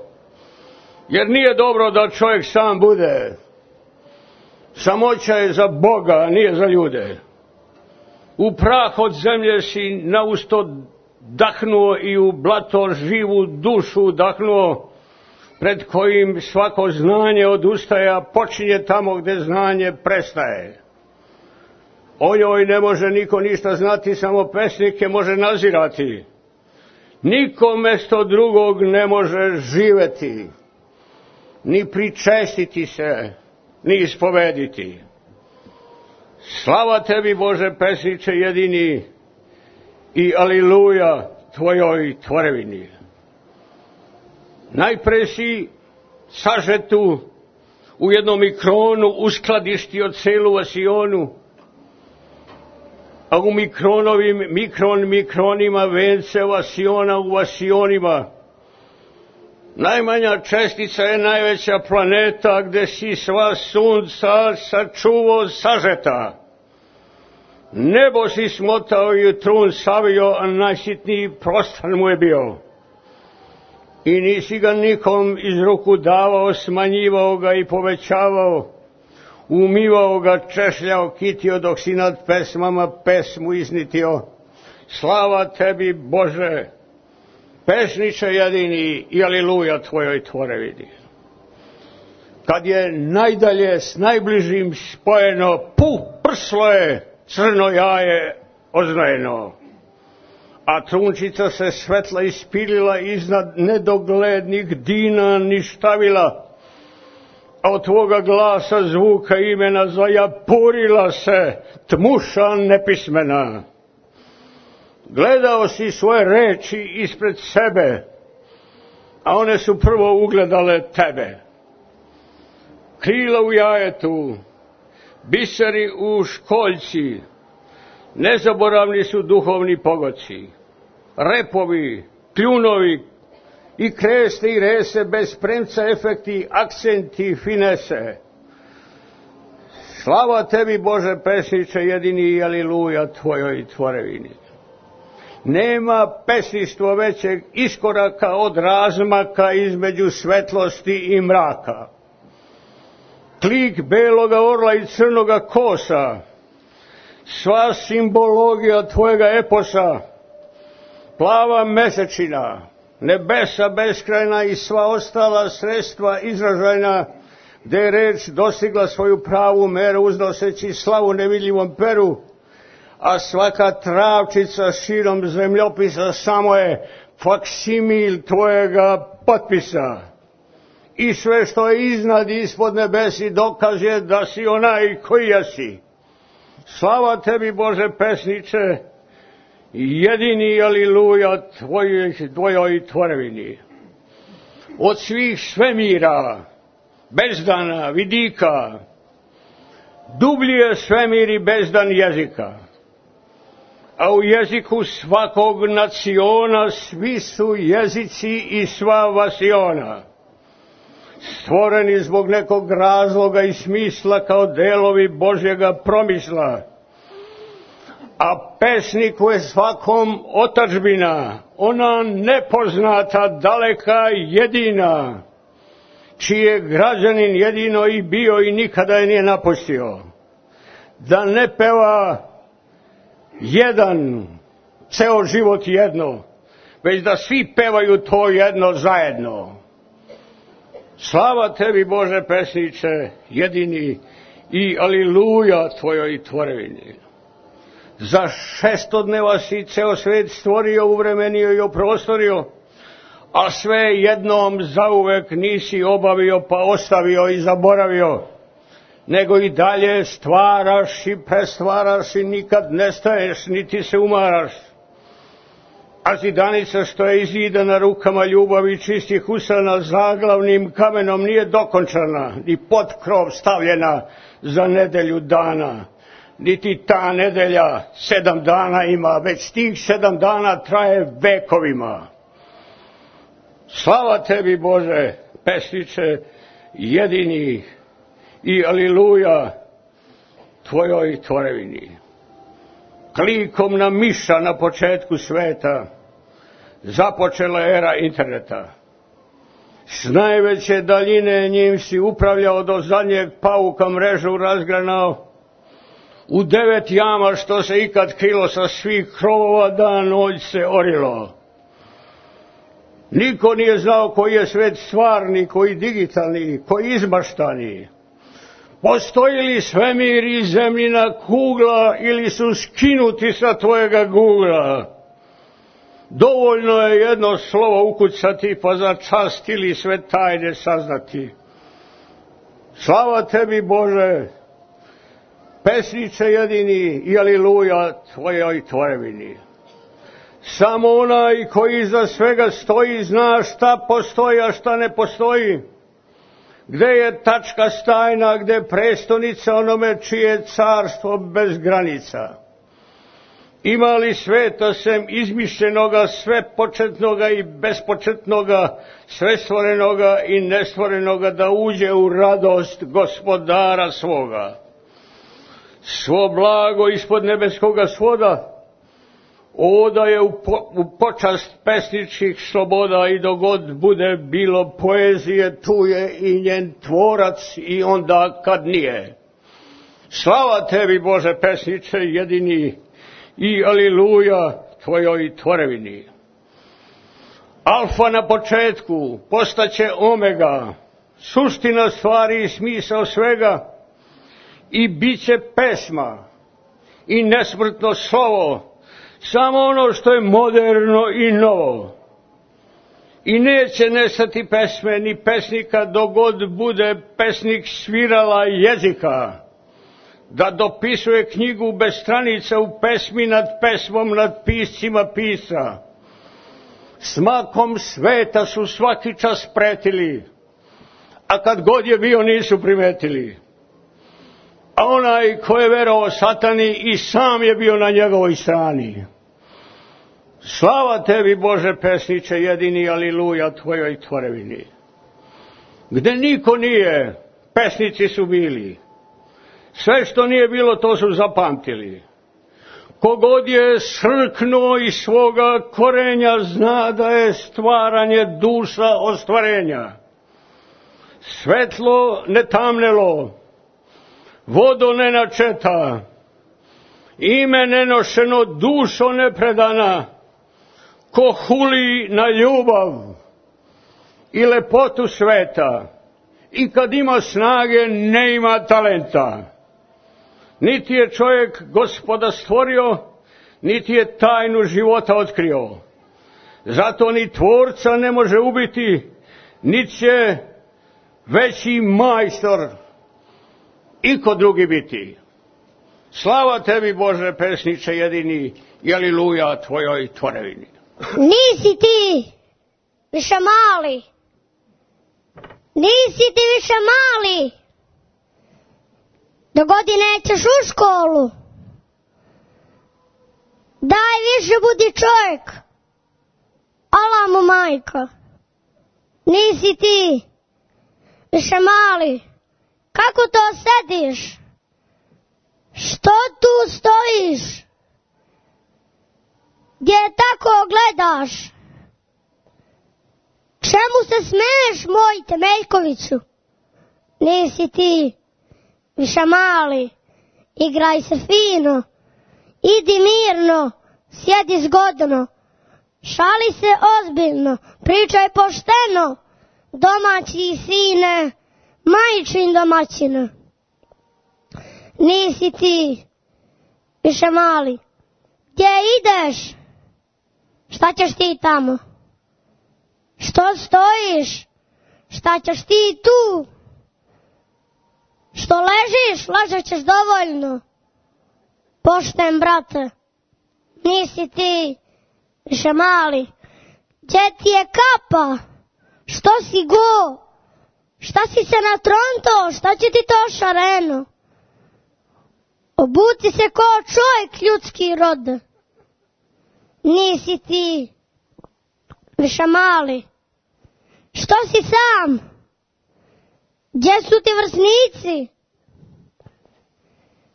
Jer nije dobro da čovjek sam bude. Samoća je za Boga, a nije za ljude. U prah od zemlje si nausto dahnuo i u blato živu dušu dahnuo, pred kojim svako znanje odustaje, a počinje tamo gde znanje prestaje. O njoj ne može niko ništa znati, samo pesnike može nazirati. Niko mesto drugog ne može živeti, ni pričestiti se, ni ispovediti. Slava tebi, Bože, pesniče jedini, i aleluja tvojoj tvorevini. Najpre si sažetu u jednom mikronu uskladištio celu vasionu, a u mikronovim mikron mikronima vence vasiona u vasionima. Najmanja čestica je najveća planeta, gde si sva sunca sačuvao sažeta. Nebo si smotao i trun savio, a najsitniji prostor mu je bio. I nisi ga nikom iz ruku davao, smanjivao ga i povećavao, umivao ga, češljao, kitio, dok si nad pesmama pesmu iznitio. Slava tebi, Bože, pesniče jedini, i aleluja tvojoj tvorevini. Kad je najdalje s najbližim spojeno, puh, prslo je, crno jaje oznojeno. A trunčica se svetla ispilila iznad nedoglednih dina ništavila, a od tvoga glasa zvuka imena zajapurila se tmuša nepismena. Gledao si svoje reči ispred sebe, a one su prvo ugledale tebe. Krila u jajetu, biseri u školjci, nezaboravni su duhovni pogoci, repovi, kljunovi i kreste i rese, bez premca efekti, akcenti, finese. Slava tebi, Bože, pesniče jedini, i aleluja tvojoj tvorevini. Nema pesništva većeg iskoraka od razmaka između svetlosti i mraka. Klik beloga orla i crnoga kosa, sva simbologija tvojega eposa, plava mesečina, nebesa beskrajna i sva ostala sredstva izražajna, gde je reč dostigla svoju pravu meru uznoseći slavu nevidljivom peru, a svaka travčica širom zemljopisa samo je faksimil tvojega potpisa. I sve što je iznad i ispod nebesi dokaz je da si onaj koji jesi. Slava tebi, Bože pesniče, jedini aleluja tvojoj, tvojoj tvorevini. Od svih svemira, bezdana, vidika, dublji je svemir i bezdan jezika. A u jeziku svakog naciona svi su jezici i sva vasiona, stvoreni zbog nekog razloga i smisla kao delovi Božjega promisla. A pesniku je svakom otadžbina, ona nepoznata, daleka, jedina, čiji je građanin jedino i bio i nikada je nije napustio. Da ne peva jedan, ceo život jedno, već da svi pevaju to jedno zajedno. Slava tebi, Bože pesniče, jedini, i aleluja tvojoj tvorevini. Za šesto dneva si ceo svet stvorio, uvremenio i oprostorio, a sve jednom zauvek nisi obavio pa ostavio i zaboravio, nego i dalje stvaraš i prestvaraš i nikad nestaješ, niti se umaraš. A zidanica što je izidana rukama ljubavi čistih usana zaglavnim kamenom nije dokončana, ni pod krov stavljena za nedelju dana. Niti ta nedelja sedam dana ima, već tih sedam dana traje vekovima. Slava tebi, Bože, pesniče, jedini, i aleluja tvojoj tvorevini. Klikom na miša na početku sveta započela era interneta. S najveće daljine njim si upravljao do zadnjeg pauka mrežu razgranao. U devet jama što se ikad krilo sa svih krovova dan noć se orilo. Niko nije znao koji je svet stvarni, koji digitalni, koji izmaštani. Postoji li svemir i zemljina kugla ili su skinuti sa tvojega Googla? Dovoljno je jedno slovo ukucati pa za čast ili sve tajne saznati. Slava tebi, Bože, pesniče jedini, i aleluja tvojoj tvorevini. Samo onaj koji iza svega stoji zna šta postoji, a šta ne postoji. Gde je tačka stajna, gde je prestonica onome čije carstvo bez granica. Ima li sveta sem izmišljenoga, sve početnoga i bespočetnoga, sve stvorenoga i nestvorenoga da uđe u radost gospodara svoga? Svo blago ispod nebeskoga svoda odaje u, po, u počast pesničkih sloboda i dogod bude bilo poezije, tu je i njen tvorac i onda kad nije. Slava tebi, Bože pesniče, jedini, i aleluja tvojoj tvorevini. Alfa na početku postaće omega, suština stvari i smisao svega, i bit će pesma i nesmrtno slovo, samo ono što je moderno i novo. I neće nestati pesme ni pesnika dogod bude pesnik svirala jezika, da dopisuje knjigu bez stranica u pesmi nad pesmom nad piscima pisa. Smakom sveta su svaki čas pretili, a kad god je bio nisu primetili. A onaj ko je verovao satani i sam je bio na njegovoj strani. Slava tebi, Bože pesniče, jedini, aleluja tvojoj tvorevini. Gde niko nije, pesnici su bili. Sve što nije bilo, to su zapamtili. Kogod je srknuo iz svoga korenja, zna da je stvaranje duša ostvarenja. Svetlo ne tamnelo, vodo ne načeta, ime nenošeno, dušo nepredana, ko huli na ljubav i lepotu sveta, i kad ima snage, ne ima talenta. Niti je čovjek Gospoda stvorio, niti je tajnu života otkrio. Zato ni tvorca ne može ubiti, niti će veći majstor iko drugi biti. Slava tebi, Bože pesniče jedini, i aliluja tvojoj tvorevini. Nisi ti više mali, nisi ti više mali, do godine ćeš u školu, daj više budi čovjek, ala mu majka. Nisi ti više mali, kako to sediš, što tu stojiš, gdje tako gledaš, čemu se smeješ, moj Temeljkoviću? Nisi ti više mali, igraj se fino, idi mirno, sjedi zgodno, šali se ozbiljno, pričaj pošteno, domaći sine, majčin domaćina. Nisi ti više mali, gdje ideš, šta ćeš ti tamo, što stojiš, šta ćeš ti tu, što ležiš, ležat ćeš dovoljno, pošten brate. Nisi ti više mali, gdje ti je kapa, što si go, šta si se natronto, šta će ti to šareno, obuci se ko čovjek ljudski rod. Nisi ti više mali, što si sam, gdje su ti vrsnici,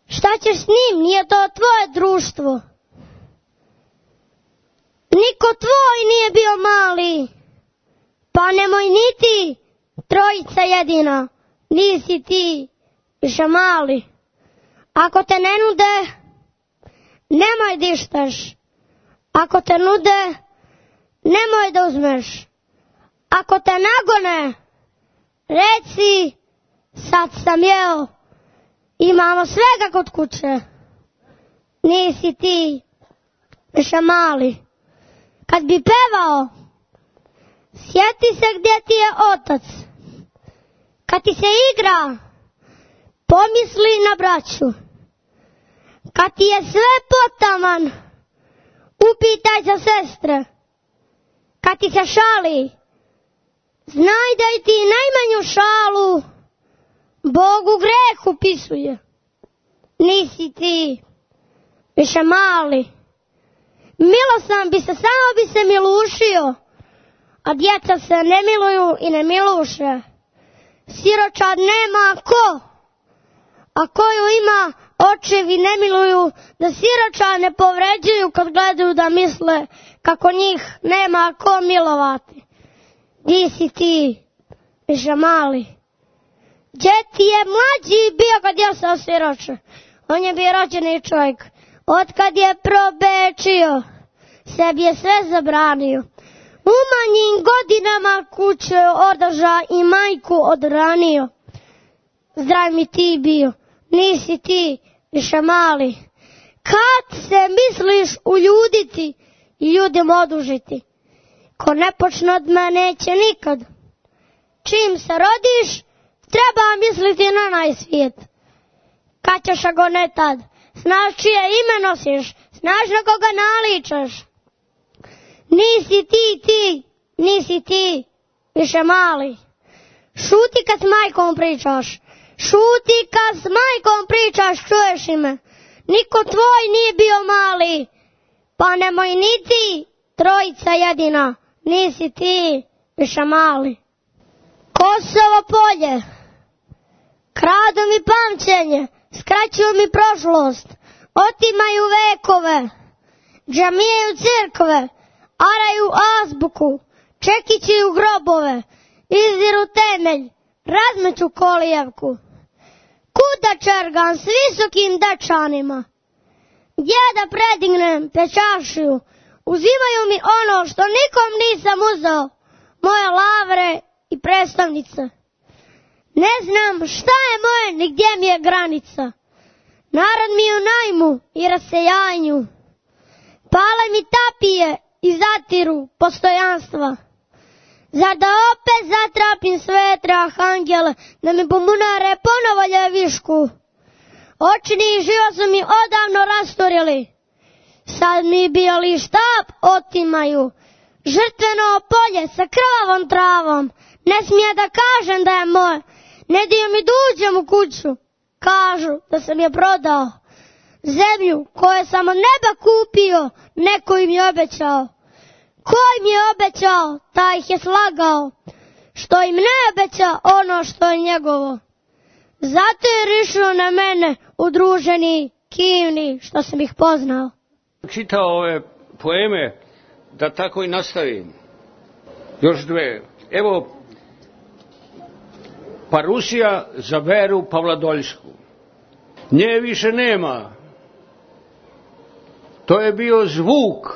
šta ćeš s njim, nije to tvoje društvo. Niko tvoj nije bio mali, pa nemoj niti trojica jedina. Nisi ti više mali, ako te ne nude, nemoj dištaš, ako te nude, nemoj da uzmeš, ako te nagone, reci, sad sam jeo, imamo svega kod kuće. Nisi ti više mali, kad bi pevao, sjeti se gdje ti je otac, kad ti se igra, pomisli na braću, kad ti je sve potaman, upitaj za sestre, kad ti se šali, znaj da i ti najmanju šalu Bogu greh upisuje. Nisi ti više mali, milostan bi se, samo bi se milušio, a djeca se ne miluju i ne miluše. Siročad nema ko, a koju ima očevi ne miluju, da siroča ne povređuju kad gledaju, da misle kako njih nema ko milovati. Di si ti više mali, gdje ti je mlađi bio kad je se osiroče? On je bio rođeni čovjek, otkad je probečio, sebi je sve zabranio. U manjim godinama kuće održa i majku odranio. Zdrav mi ti bio, nisi ti više mali, kad se misliš uljuditi i ljudima odužiti, ko ne počne od mene neće nikad. Čim se rodiš, treba misliti na najsvijet. Kad ćeš ako ne tad, znaš čije ime nosiš, znaš na koga naličaš. Nisi ti ti, nisi ti više mali. Šuti kad s majkom pričaš, šuti kad s majkom pričaš, čuješ ime. Niko tvoj nije bio mali, pa nemoj ni ti trojica jedina. Nisi ti više mali. Kosovo polje, kradu mi pamćenje, skraćuju mi prošlost, otimaju vekove, džamijaju crkve, araju azbuku, čekićuju grobove, izdiru temelj, razmeću kolijevku. Kuda čergan s visokim dečanima, Gdje da predignem pečašiju? Uzimaju mi ono što nikom nisam uzeo, moje lavre i predstavnice. Ne znam šta je moje, ni gdje mi je granica. Narod mi je u najmu i rasejanju. Pale mi tapije i zatiru postojanstva. Zar da opet zatrapim svetre arhangele, da mi pomunare ponovo ljevišku? Očini i život su mi odavno rasturili. Sad mi bijeli štab otimaju. Žrtveno polje sa krvavom travom. Ne smije da kažem da je moje. Ne dio mi da uđem u kuću. Kažu da sam je prodao. Zemlju koju sam od neba kupio, neko im je obećao. Ko im je obećao, taj ih je slagao. Što im ne obeća ono što je njegovo. Zato je rišao na mene udruženi, kivni, što sam ih poznao. Čitao ove poeme, da tako i nastavim. Još dve. Evo, pa Rusija za Veru Pavladoljsku. Nje više nema. To je bio zvuk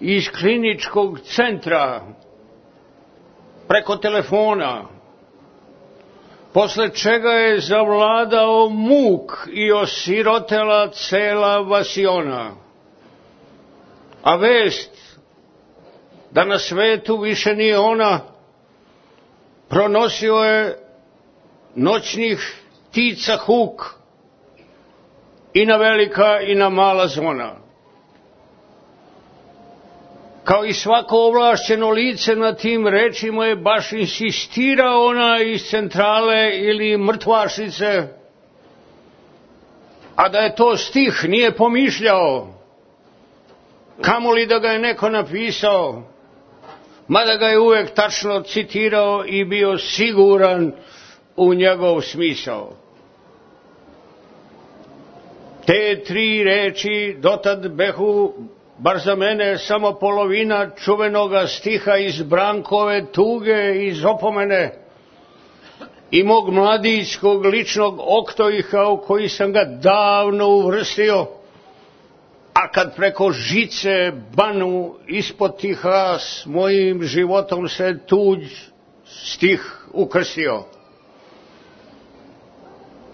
iz kliničkog centra preko telefona, posle čega je zavladao muk i osirotela cela vasiona. A vest da na svetu više nije ona, pronosio je noćnih ptica huk i na velika i na mala zvona. Kao i svako ovlašćeno lice na tim rečima je baš insistirao ona iz centrale ili mrtvašnice, a da je to stih nije pomišljao, kamoli da ga je neko napisao, mada ga je uvek tačno citirao i bio siguran u njegov smisao. Te tri reči dotad behu, bar za mene, samo polovina čuvenoga stiha iz Brankove tuge, iz opomene i mog mladićkog ličnog oktoiha u koji sam ga davno uvrstio, a kad preko žice banu ispod tiha s mojim životom se tuđ stih ukrstio.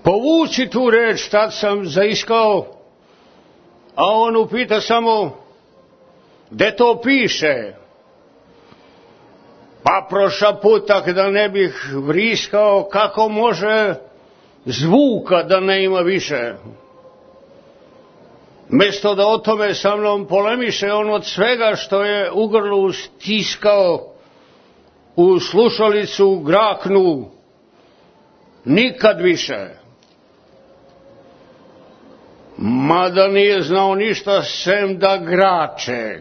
Povuci tu reč, tad sam zaiskao, a on upita samo, gde to piše? Pa prošaputak da ne bih vriskao, kako može zvuka da ne ima više. Mesto da o tome sa mnom polemiše, on od svega što je u grlu stiskao u slušalicu graknu, nikad više. Mada nije znao ništa sem da grače.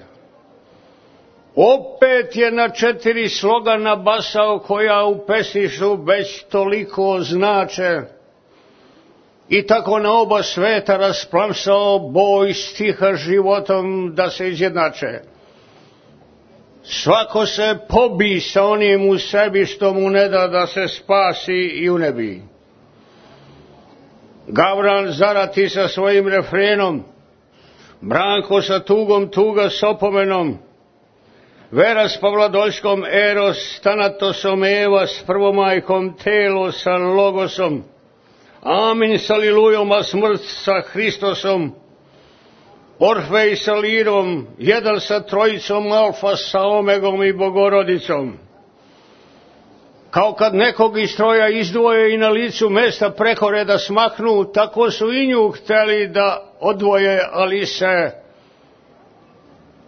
Opet je na četiri sloga nabasao koja u pesništvu već toliko znače i tako na oba sveta rasplamsao boj stiha životom da se izjednače. Svako se pobi sa onim u sebi što mu ne da da se spasi i unebi. Gavran zarati sa svojim refrenom, Branko sa tugom tuga s opomenom, Vera s Pavladoljskom, Eros, Tanatosom, Eva s prvomajkom, Telo sa Logosom, Amin sa Lilujom, a smrt sa Hristosom, Orfej sa Lirom, jedan sa trojicom, Alfa sa Omegom i Bogorodicom. Kao kad nekog iz stroja izdvoje i na licu mesta preko reda smaknu, tako su i nju hteli da odvoje, ali se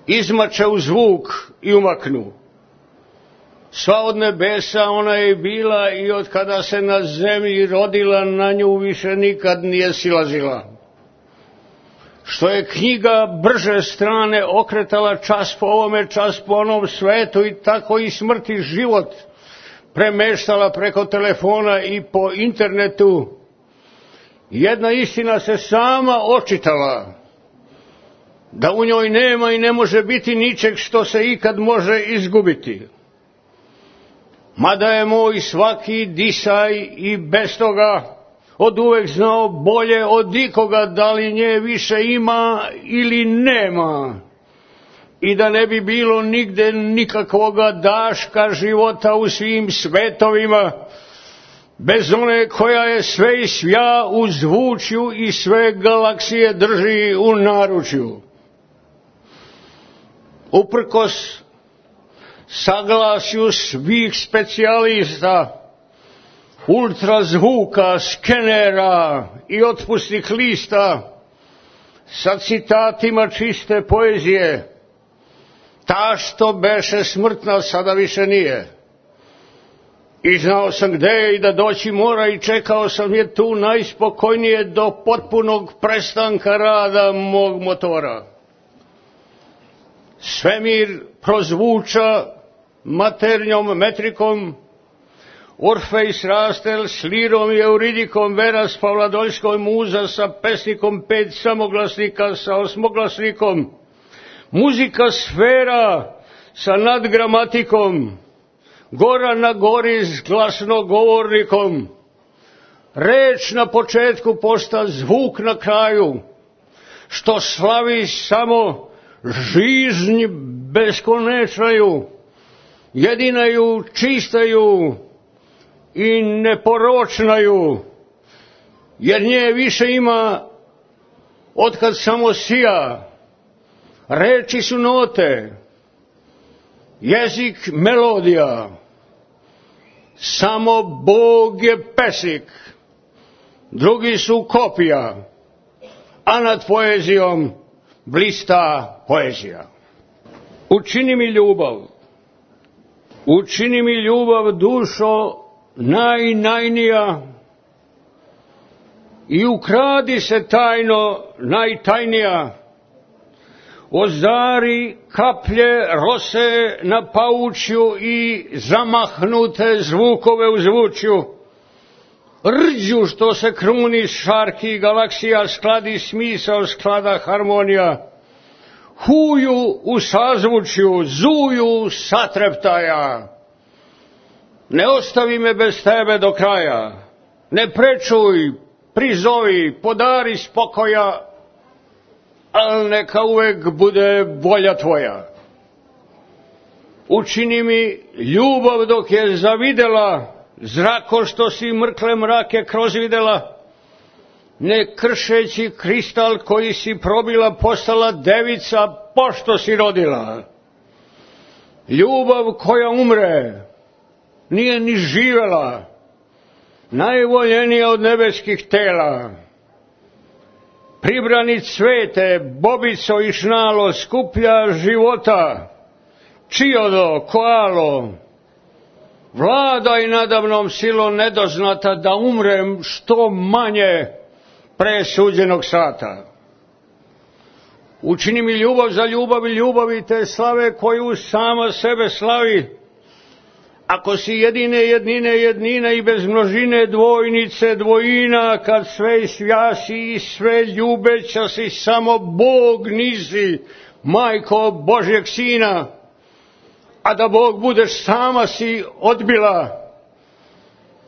izmače u zvuk i umaknu. Sva od nebesa ona je bila i od kada se na zemlji rodila, na nju više nikad nije silazila. Što je knjiga brže strane okretala čas po ovome, čas po onom svetu, i tako i smrt i život premeštala preko telefona i po internetu, jedna istina se sama očitala, da u njoj nema i ne može biti ničeg što se ikad može izgubiti. Mada je moj svaki disaj i bez toga od uvek znao bolje od ikoga da li nje više ima ili nema. I da ne bi bilo nigde nikakvoga daška života u svim svetovima, bez one koja je sve i svja u zvučju i sve galaksije drži u naručju. Uprkos saglasju svih specijalista, ultrazvuka, skenera i otpusnih lista, sa citatima čiste poezije, ta što beše smrtna sada više nije. I znao sam gde je i da doći mora i čekao sam je tu najspokojnije do potpunog prestanka rada mog motora. Svemir prozvuča maternjom metrikom, Orfej s Rastel s lirom i euridikom, Vera s Pavladoljskom, Muza sa pesnikom, pet samoglasnika sa osmoglasnikom, muzika sfera sa nadgramatikom, Gora na gori s glasnogovornikom, reč na početku posta zvuk na kraju, što slavi samo žiznj beskonečnaju, jedinaju, čistaju i neporočnaju, jer nje više ima otkad samo sija. Reči su note, jezik melodija, samo Bog je pesnik, drugi su kopija, a nad poezijom blista poezija. Učini mi ljubav, učini mi ljubav, dušo najnajnija, i ukradi se tajno najtajnija, ozari kaplje rose na paučju i zamahnute zvukove u zvučju, rđu što se kruni šarki galaksija, skladi smisao, sklada harmonija, huju u sazvučju, zuju satreptaja. Ne ostavi me bez tebe do kraja, ne prečuj, prizovi, podari spokoja, al neka uvek bude volja tvoja. Učini mi ljubav dok je zavidela, zrako što si mrkle mrake kroz videla, ne kršeći kristal koji si probila, postala devica pošto si rodila. Ljubav koja umre, nije ni živela, najvoljenija od nebeskih tela. Pribrani cvete, bobico i šnalo, skuplja života, čiodo, koalo, vladaj nadamnom silom nedoznata, da umrem što manje pre suđenog sata. Učini mi ljubav za ljubav i ljubavi te slave koju sama sebe slavi. Ako si jedine jednine jednina i bez množine dvojnice dvojina, kad sve svjasi i sve ljubeća si, samo Bog nisi, majko Božjeg sina, a da Bog budeš sama si odbila,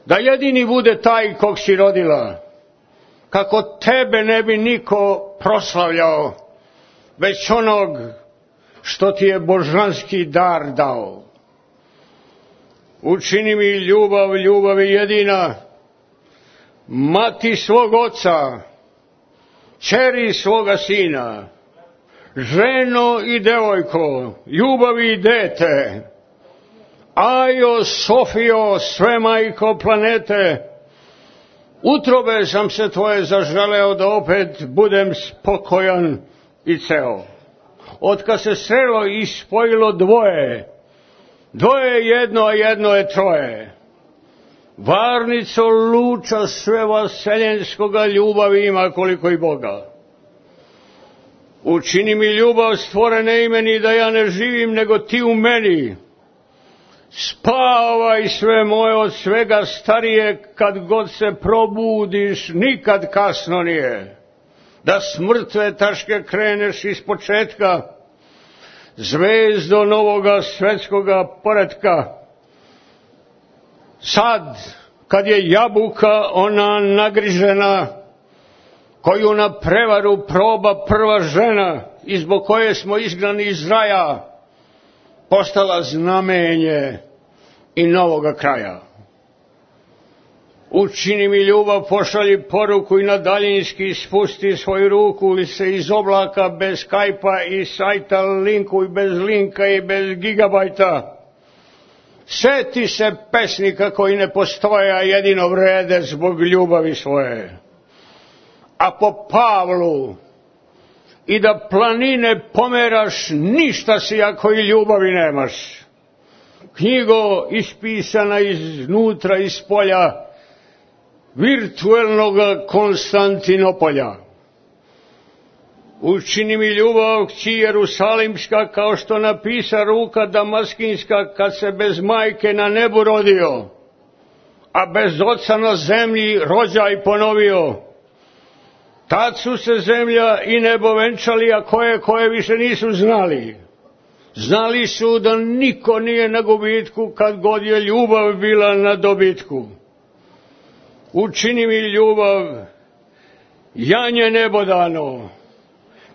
da jedini bude taj kog si rodila, kako tebe ne bi niko proslavljao, već onog što ti je božanski dar dao. Učini mi ljubav, ljubavi jedina, mati svog oca, ćeri svoga sina, ženo i devojko, ljubavi i dete, Ajo, Sofijo, sve majko planete, utrobe sam se tvoje zaželeo da opet budem spokojan i ceo. Otkad se srelo i spojilo dvoje, dvoje je jedno, a jedno je troje. Varnico luča sve vaseljenskoga, ljubavi ima koliko i Boga. Učini mi ljubav stvorene imeni, da ja ne živim nego ti u meni. Spavaj sve moje od svega starije, kad god se probudiš, nikad kasno nije. Da s mrtve taške kreneš iz početka, zvezdo novoga svetskoga poretka. Sad, kad je jabuka ona nagrižena, koju na prevaru proba prva žena i zbog koje smo izgnani iz raja, postala znamenje i novoga kraja. Učini mi ljubav, pošalji poruku i na daljinski spusti svoju ruku ili se iz oblaka bez skajpa i sajta linku i bez linka i bez gigabajta. Seti se pesnika koji ne postoje, a jedino vrede zbog ljubavi svoje. A po Pavlu, i da planine pomeraš, ništa si ako i ljubavi nemaš. Knjigo ispisana iznutra iz polja virtuelnog Konstantinopolja. Učini mi ljubav, kći Jerusalimska, kao što napisa ruka damaskinska, kad se bez majke na nebu rodio, a bez oca na zemlji rođaj ponovio. Tad su se zemlja i nebo venčali, a koje koje više nisu znali. Znali su da niko nije na gubitku, kad god je ljubav bila na dobitku. Učini mi ljubav, janje nebodano,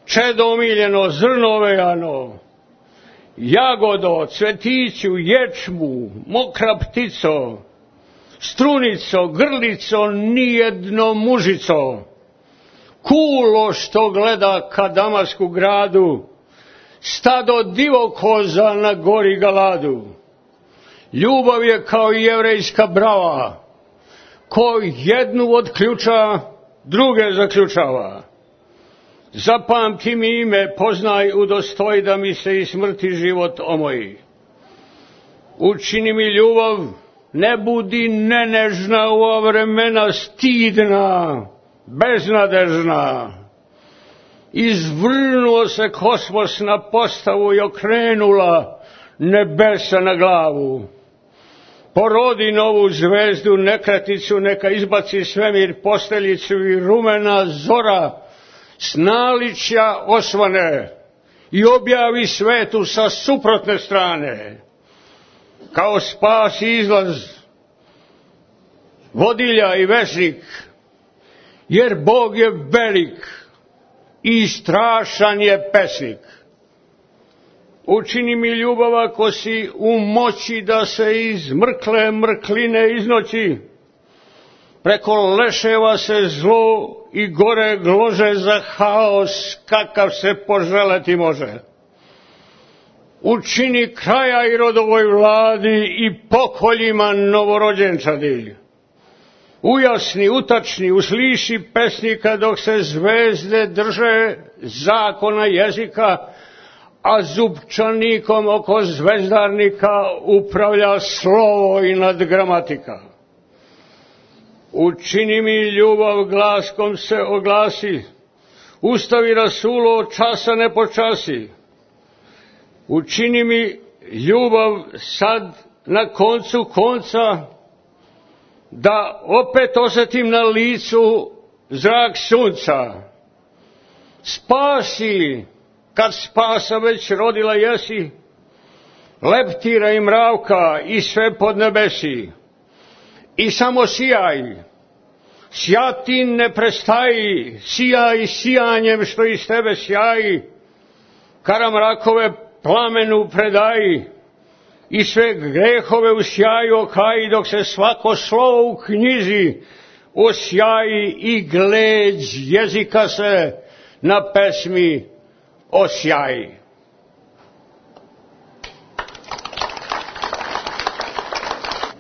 čedo omiljeno, zrno vejano, jagodo, cvetiću, ječmu, mokra ptico, strunico, grlico, nijedno mužico, kulo što gleda ka Damasku gradu, stado divokoza na gori Galadu. Ljubav je kao jevrejska brava, ko jednu od ključa druge zaključava. Zapamti mi ime, poznaj, udostoj da mi se i smrti život omoji. Učini mi ljubav, ne budi nenežna u ova vremena stidna, beznadežna. Izvrnuo se kosmos na postavu i okrenula nebesa na glavu. Porodi novu zvezdu, nekraticu, neka izbaci svemir posteljicu i rumena zora s naličja osvane i objavi svetu sa suprotne strane. Kao spas i izlaz vodilja i vesnik, jer Bog je velik i strašan je pesnik. Učini mi ljubav ako si u moći da se iz mrkle mrkline iznoći, preko leševa se zlo i gore glože za haos kakav se poželeti može. Učini kraja i rodovoj vladi i pokoljima novorođenčadi. Ujasni, utačni, usliši pesnika dok se zvezde drže zakona jezika, a zupčanikom oko zvezdarnika upravlja slovo i nadgramatika. Učini mi ljubav, glaskom se oglasi, ustavi rasulo, časa ne počasi. Učini mi ljubav sad na koncu konca, da opet osjetim na licu zrak sunca. Spasi, kad spasa već rodila jesi, leptira i mravka i sve pod nebesi. I samo sijaj, sjati ne prestaji, sijaj sijanjem što iz tebe sjaji, karamrakove plamenu predaji i sve grehove u sjaju okaji, dok se svako slovo u knjizi osjaji i gleđ jezika se na pesmi osjaji.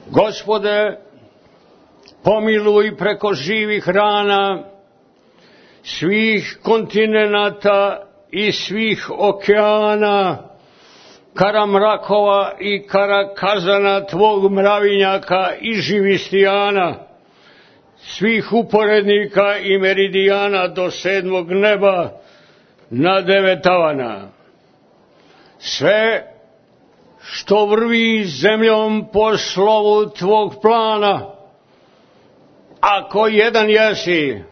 Gospode, pomiluj preko živih rana svih kontinenata i svih okeana, karamrakova i karakazana tvog mravinjaka i živistijana, svih uporednika i meridijana do sedmog neba na devetavana. Sve što vrvi zemljom po slovu tvog plana, ako jedan jesi,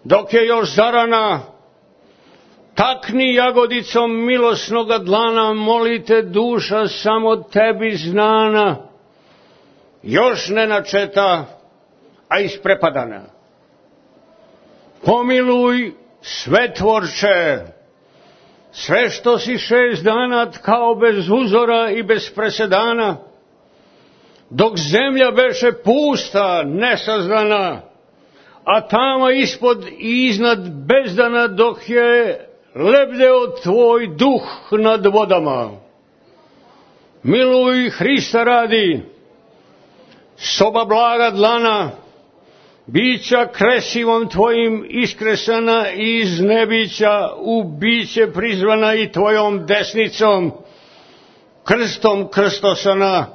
dok je još zarana, takni jagodicom milosnoga dlana, molite duša samo tebi znana, još ne načeta, a isprepadana. Pomiluj sve tvorče, sve što si šest dana tkao bez uzora i bez presedana, dok zemlja beše pusta, nesazdana, a tamo ispod i iznad bezdana, dok je lebdeo tvoj duh nad vodama. Miluj Hrista radi, soba blaga dlana, bića kresivom tvojim iskresana i iz nebića u biće prizvana i tvojom desnicom, krstom krstosana.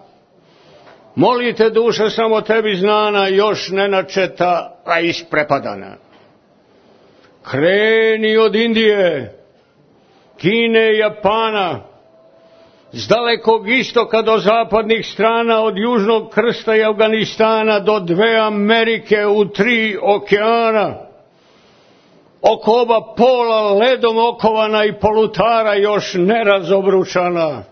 Molite duša samo tebi znana, još ne načeta, a isprepadana. Kreni od Indije, Kine i Japana, s dalekog istoka do zapadnih strana, od južnog krsta i Afganistana do dve Amerike u tri okeana, oko oba pola ledom okovana i polutara još nerazobručana,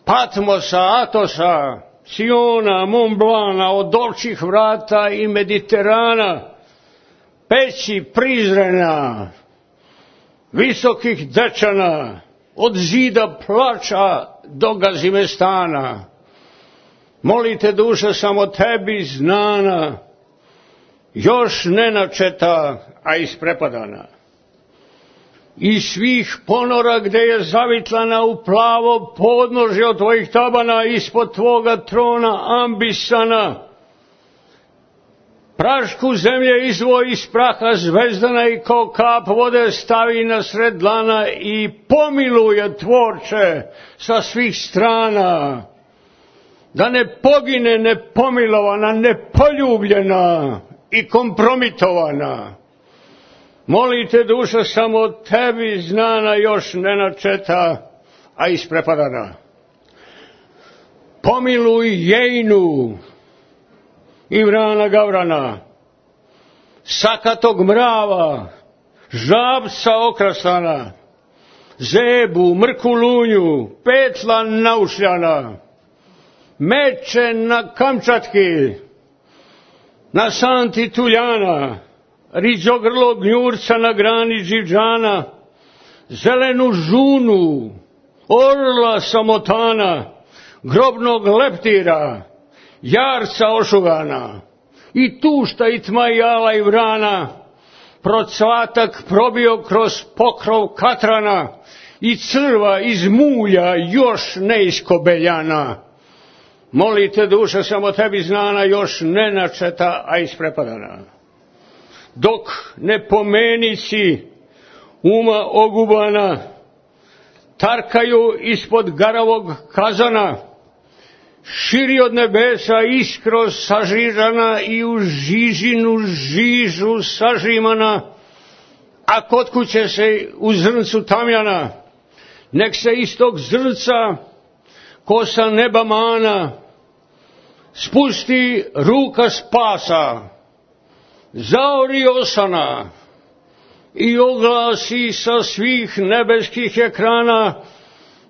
Patmosa, Atosa, Siona, Montblana, od Ovčjih vrata i Mediterana, peći Prizrena, visokih Dečana, od zida plača do Gazimestana. Molite duša samo tebi znana, još ne načeta, a isprepadana. Iz svih ponora gde je zavitlana u plavo podnožje od tvojih tabana, ispod tvoga trona ambisana, prašku zemlje izvoj iz praha zvezdana i kao kap vode stavi na sred dlana i pomiluje tvorče sa svih strana, da ne pogine nepomilovana, nepoljubljena i kompromitovana. Molite duša samo tebi znana, još ne načeta, a isprepadana. Pomiluj Jejnu, Imrana Gavrana, sakatog mrava, žabca okrasana, Zebu, Mrkulunju, Petla naušljana, Meče na Kamčatki, na Santi Tuljana, riđogrlog gnjurca na grani Đivđana, zelenu žunu, orla samotana, grobnog leptira, jarca ošugana, i tušta i tma i ala i vrana, procvatak probio kroz pokrov katrana, i crva iz mulja još neiskobeljana. Molite duša samo tebi znana, još ne načeta, a isprepadana. Dok ne pomenici uma ogubana tarkaju ispod garavog kazana, širi od nebesa iskro sažižana i u žižinu žižu sažimana, a kod kuće se u zrncu tamjana, nek se iz tog zrnca kosa neba mana spusti ruka spasa, zaori osana i oglasi sa svih nebeskih ekrana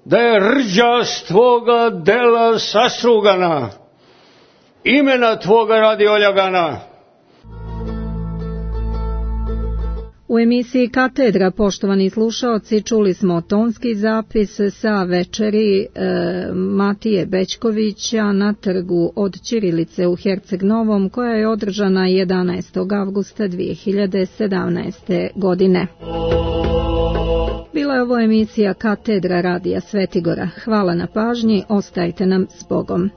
da je rđa tvoga dela sastrugana, imena tvoga radi oljagana. U emisiji Katedra, poštovani slušaoci, čuli smo tonski zapis sa večeri e, Matije Bećkovića na trgu od Ćirilice u Herceg Novom, koja je održana jedanaestog avgusta dvije hiljade sedamnaeste. godine. Bila je ovo emisija Katedra radija Svetigora. Hvala na pažnji, ostajte nam s Bogom.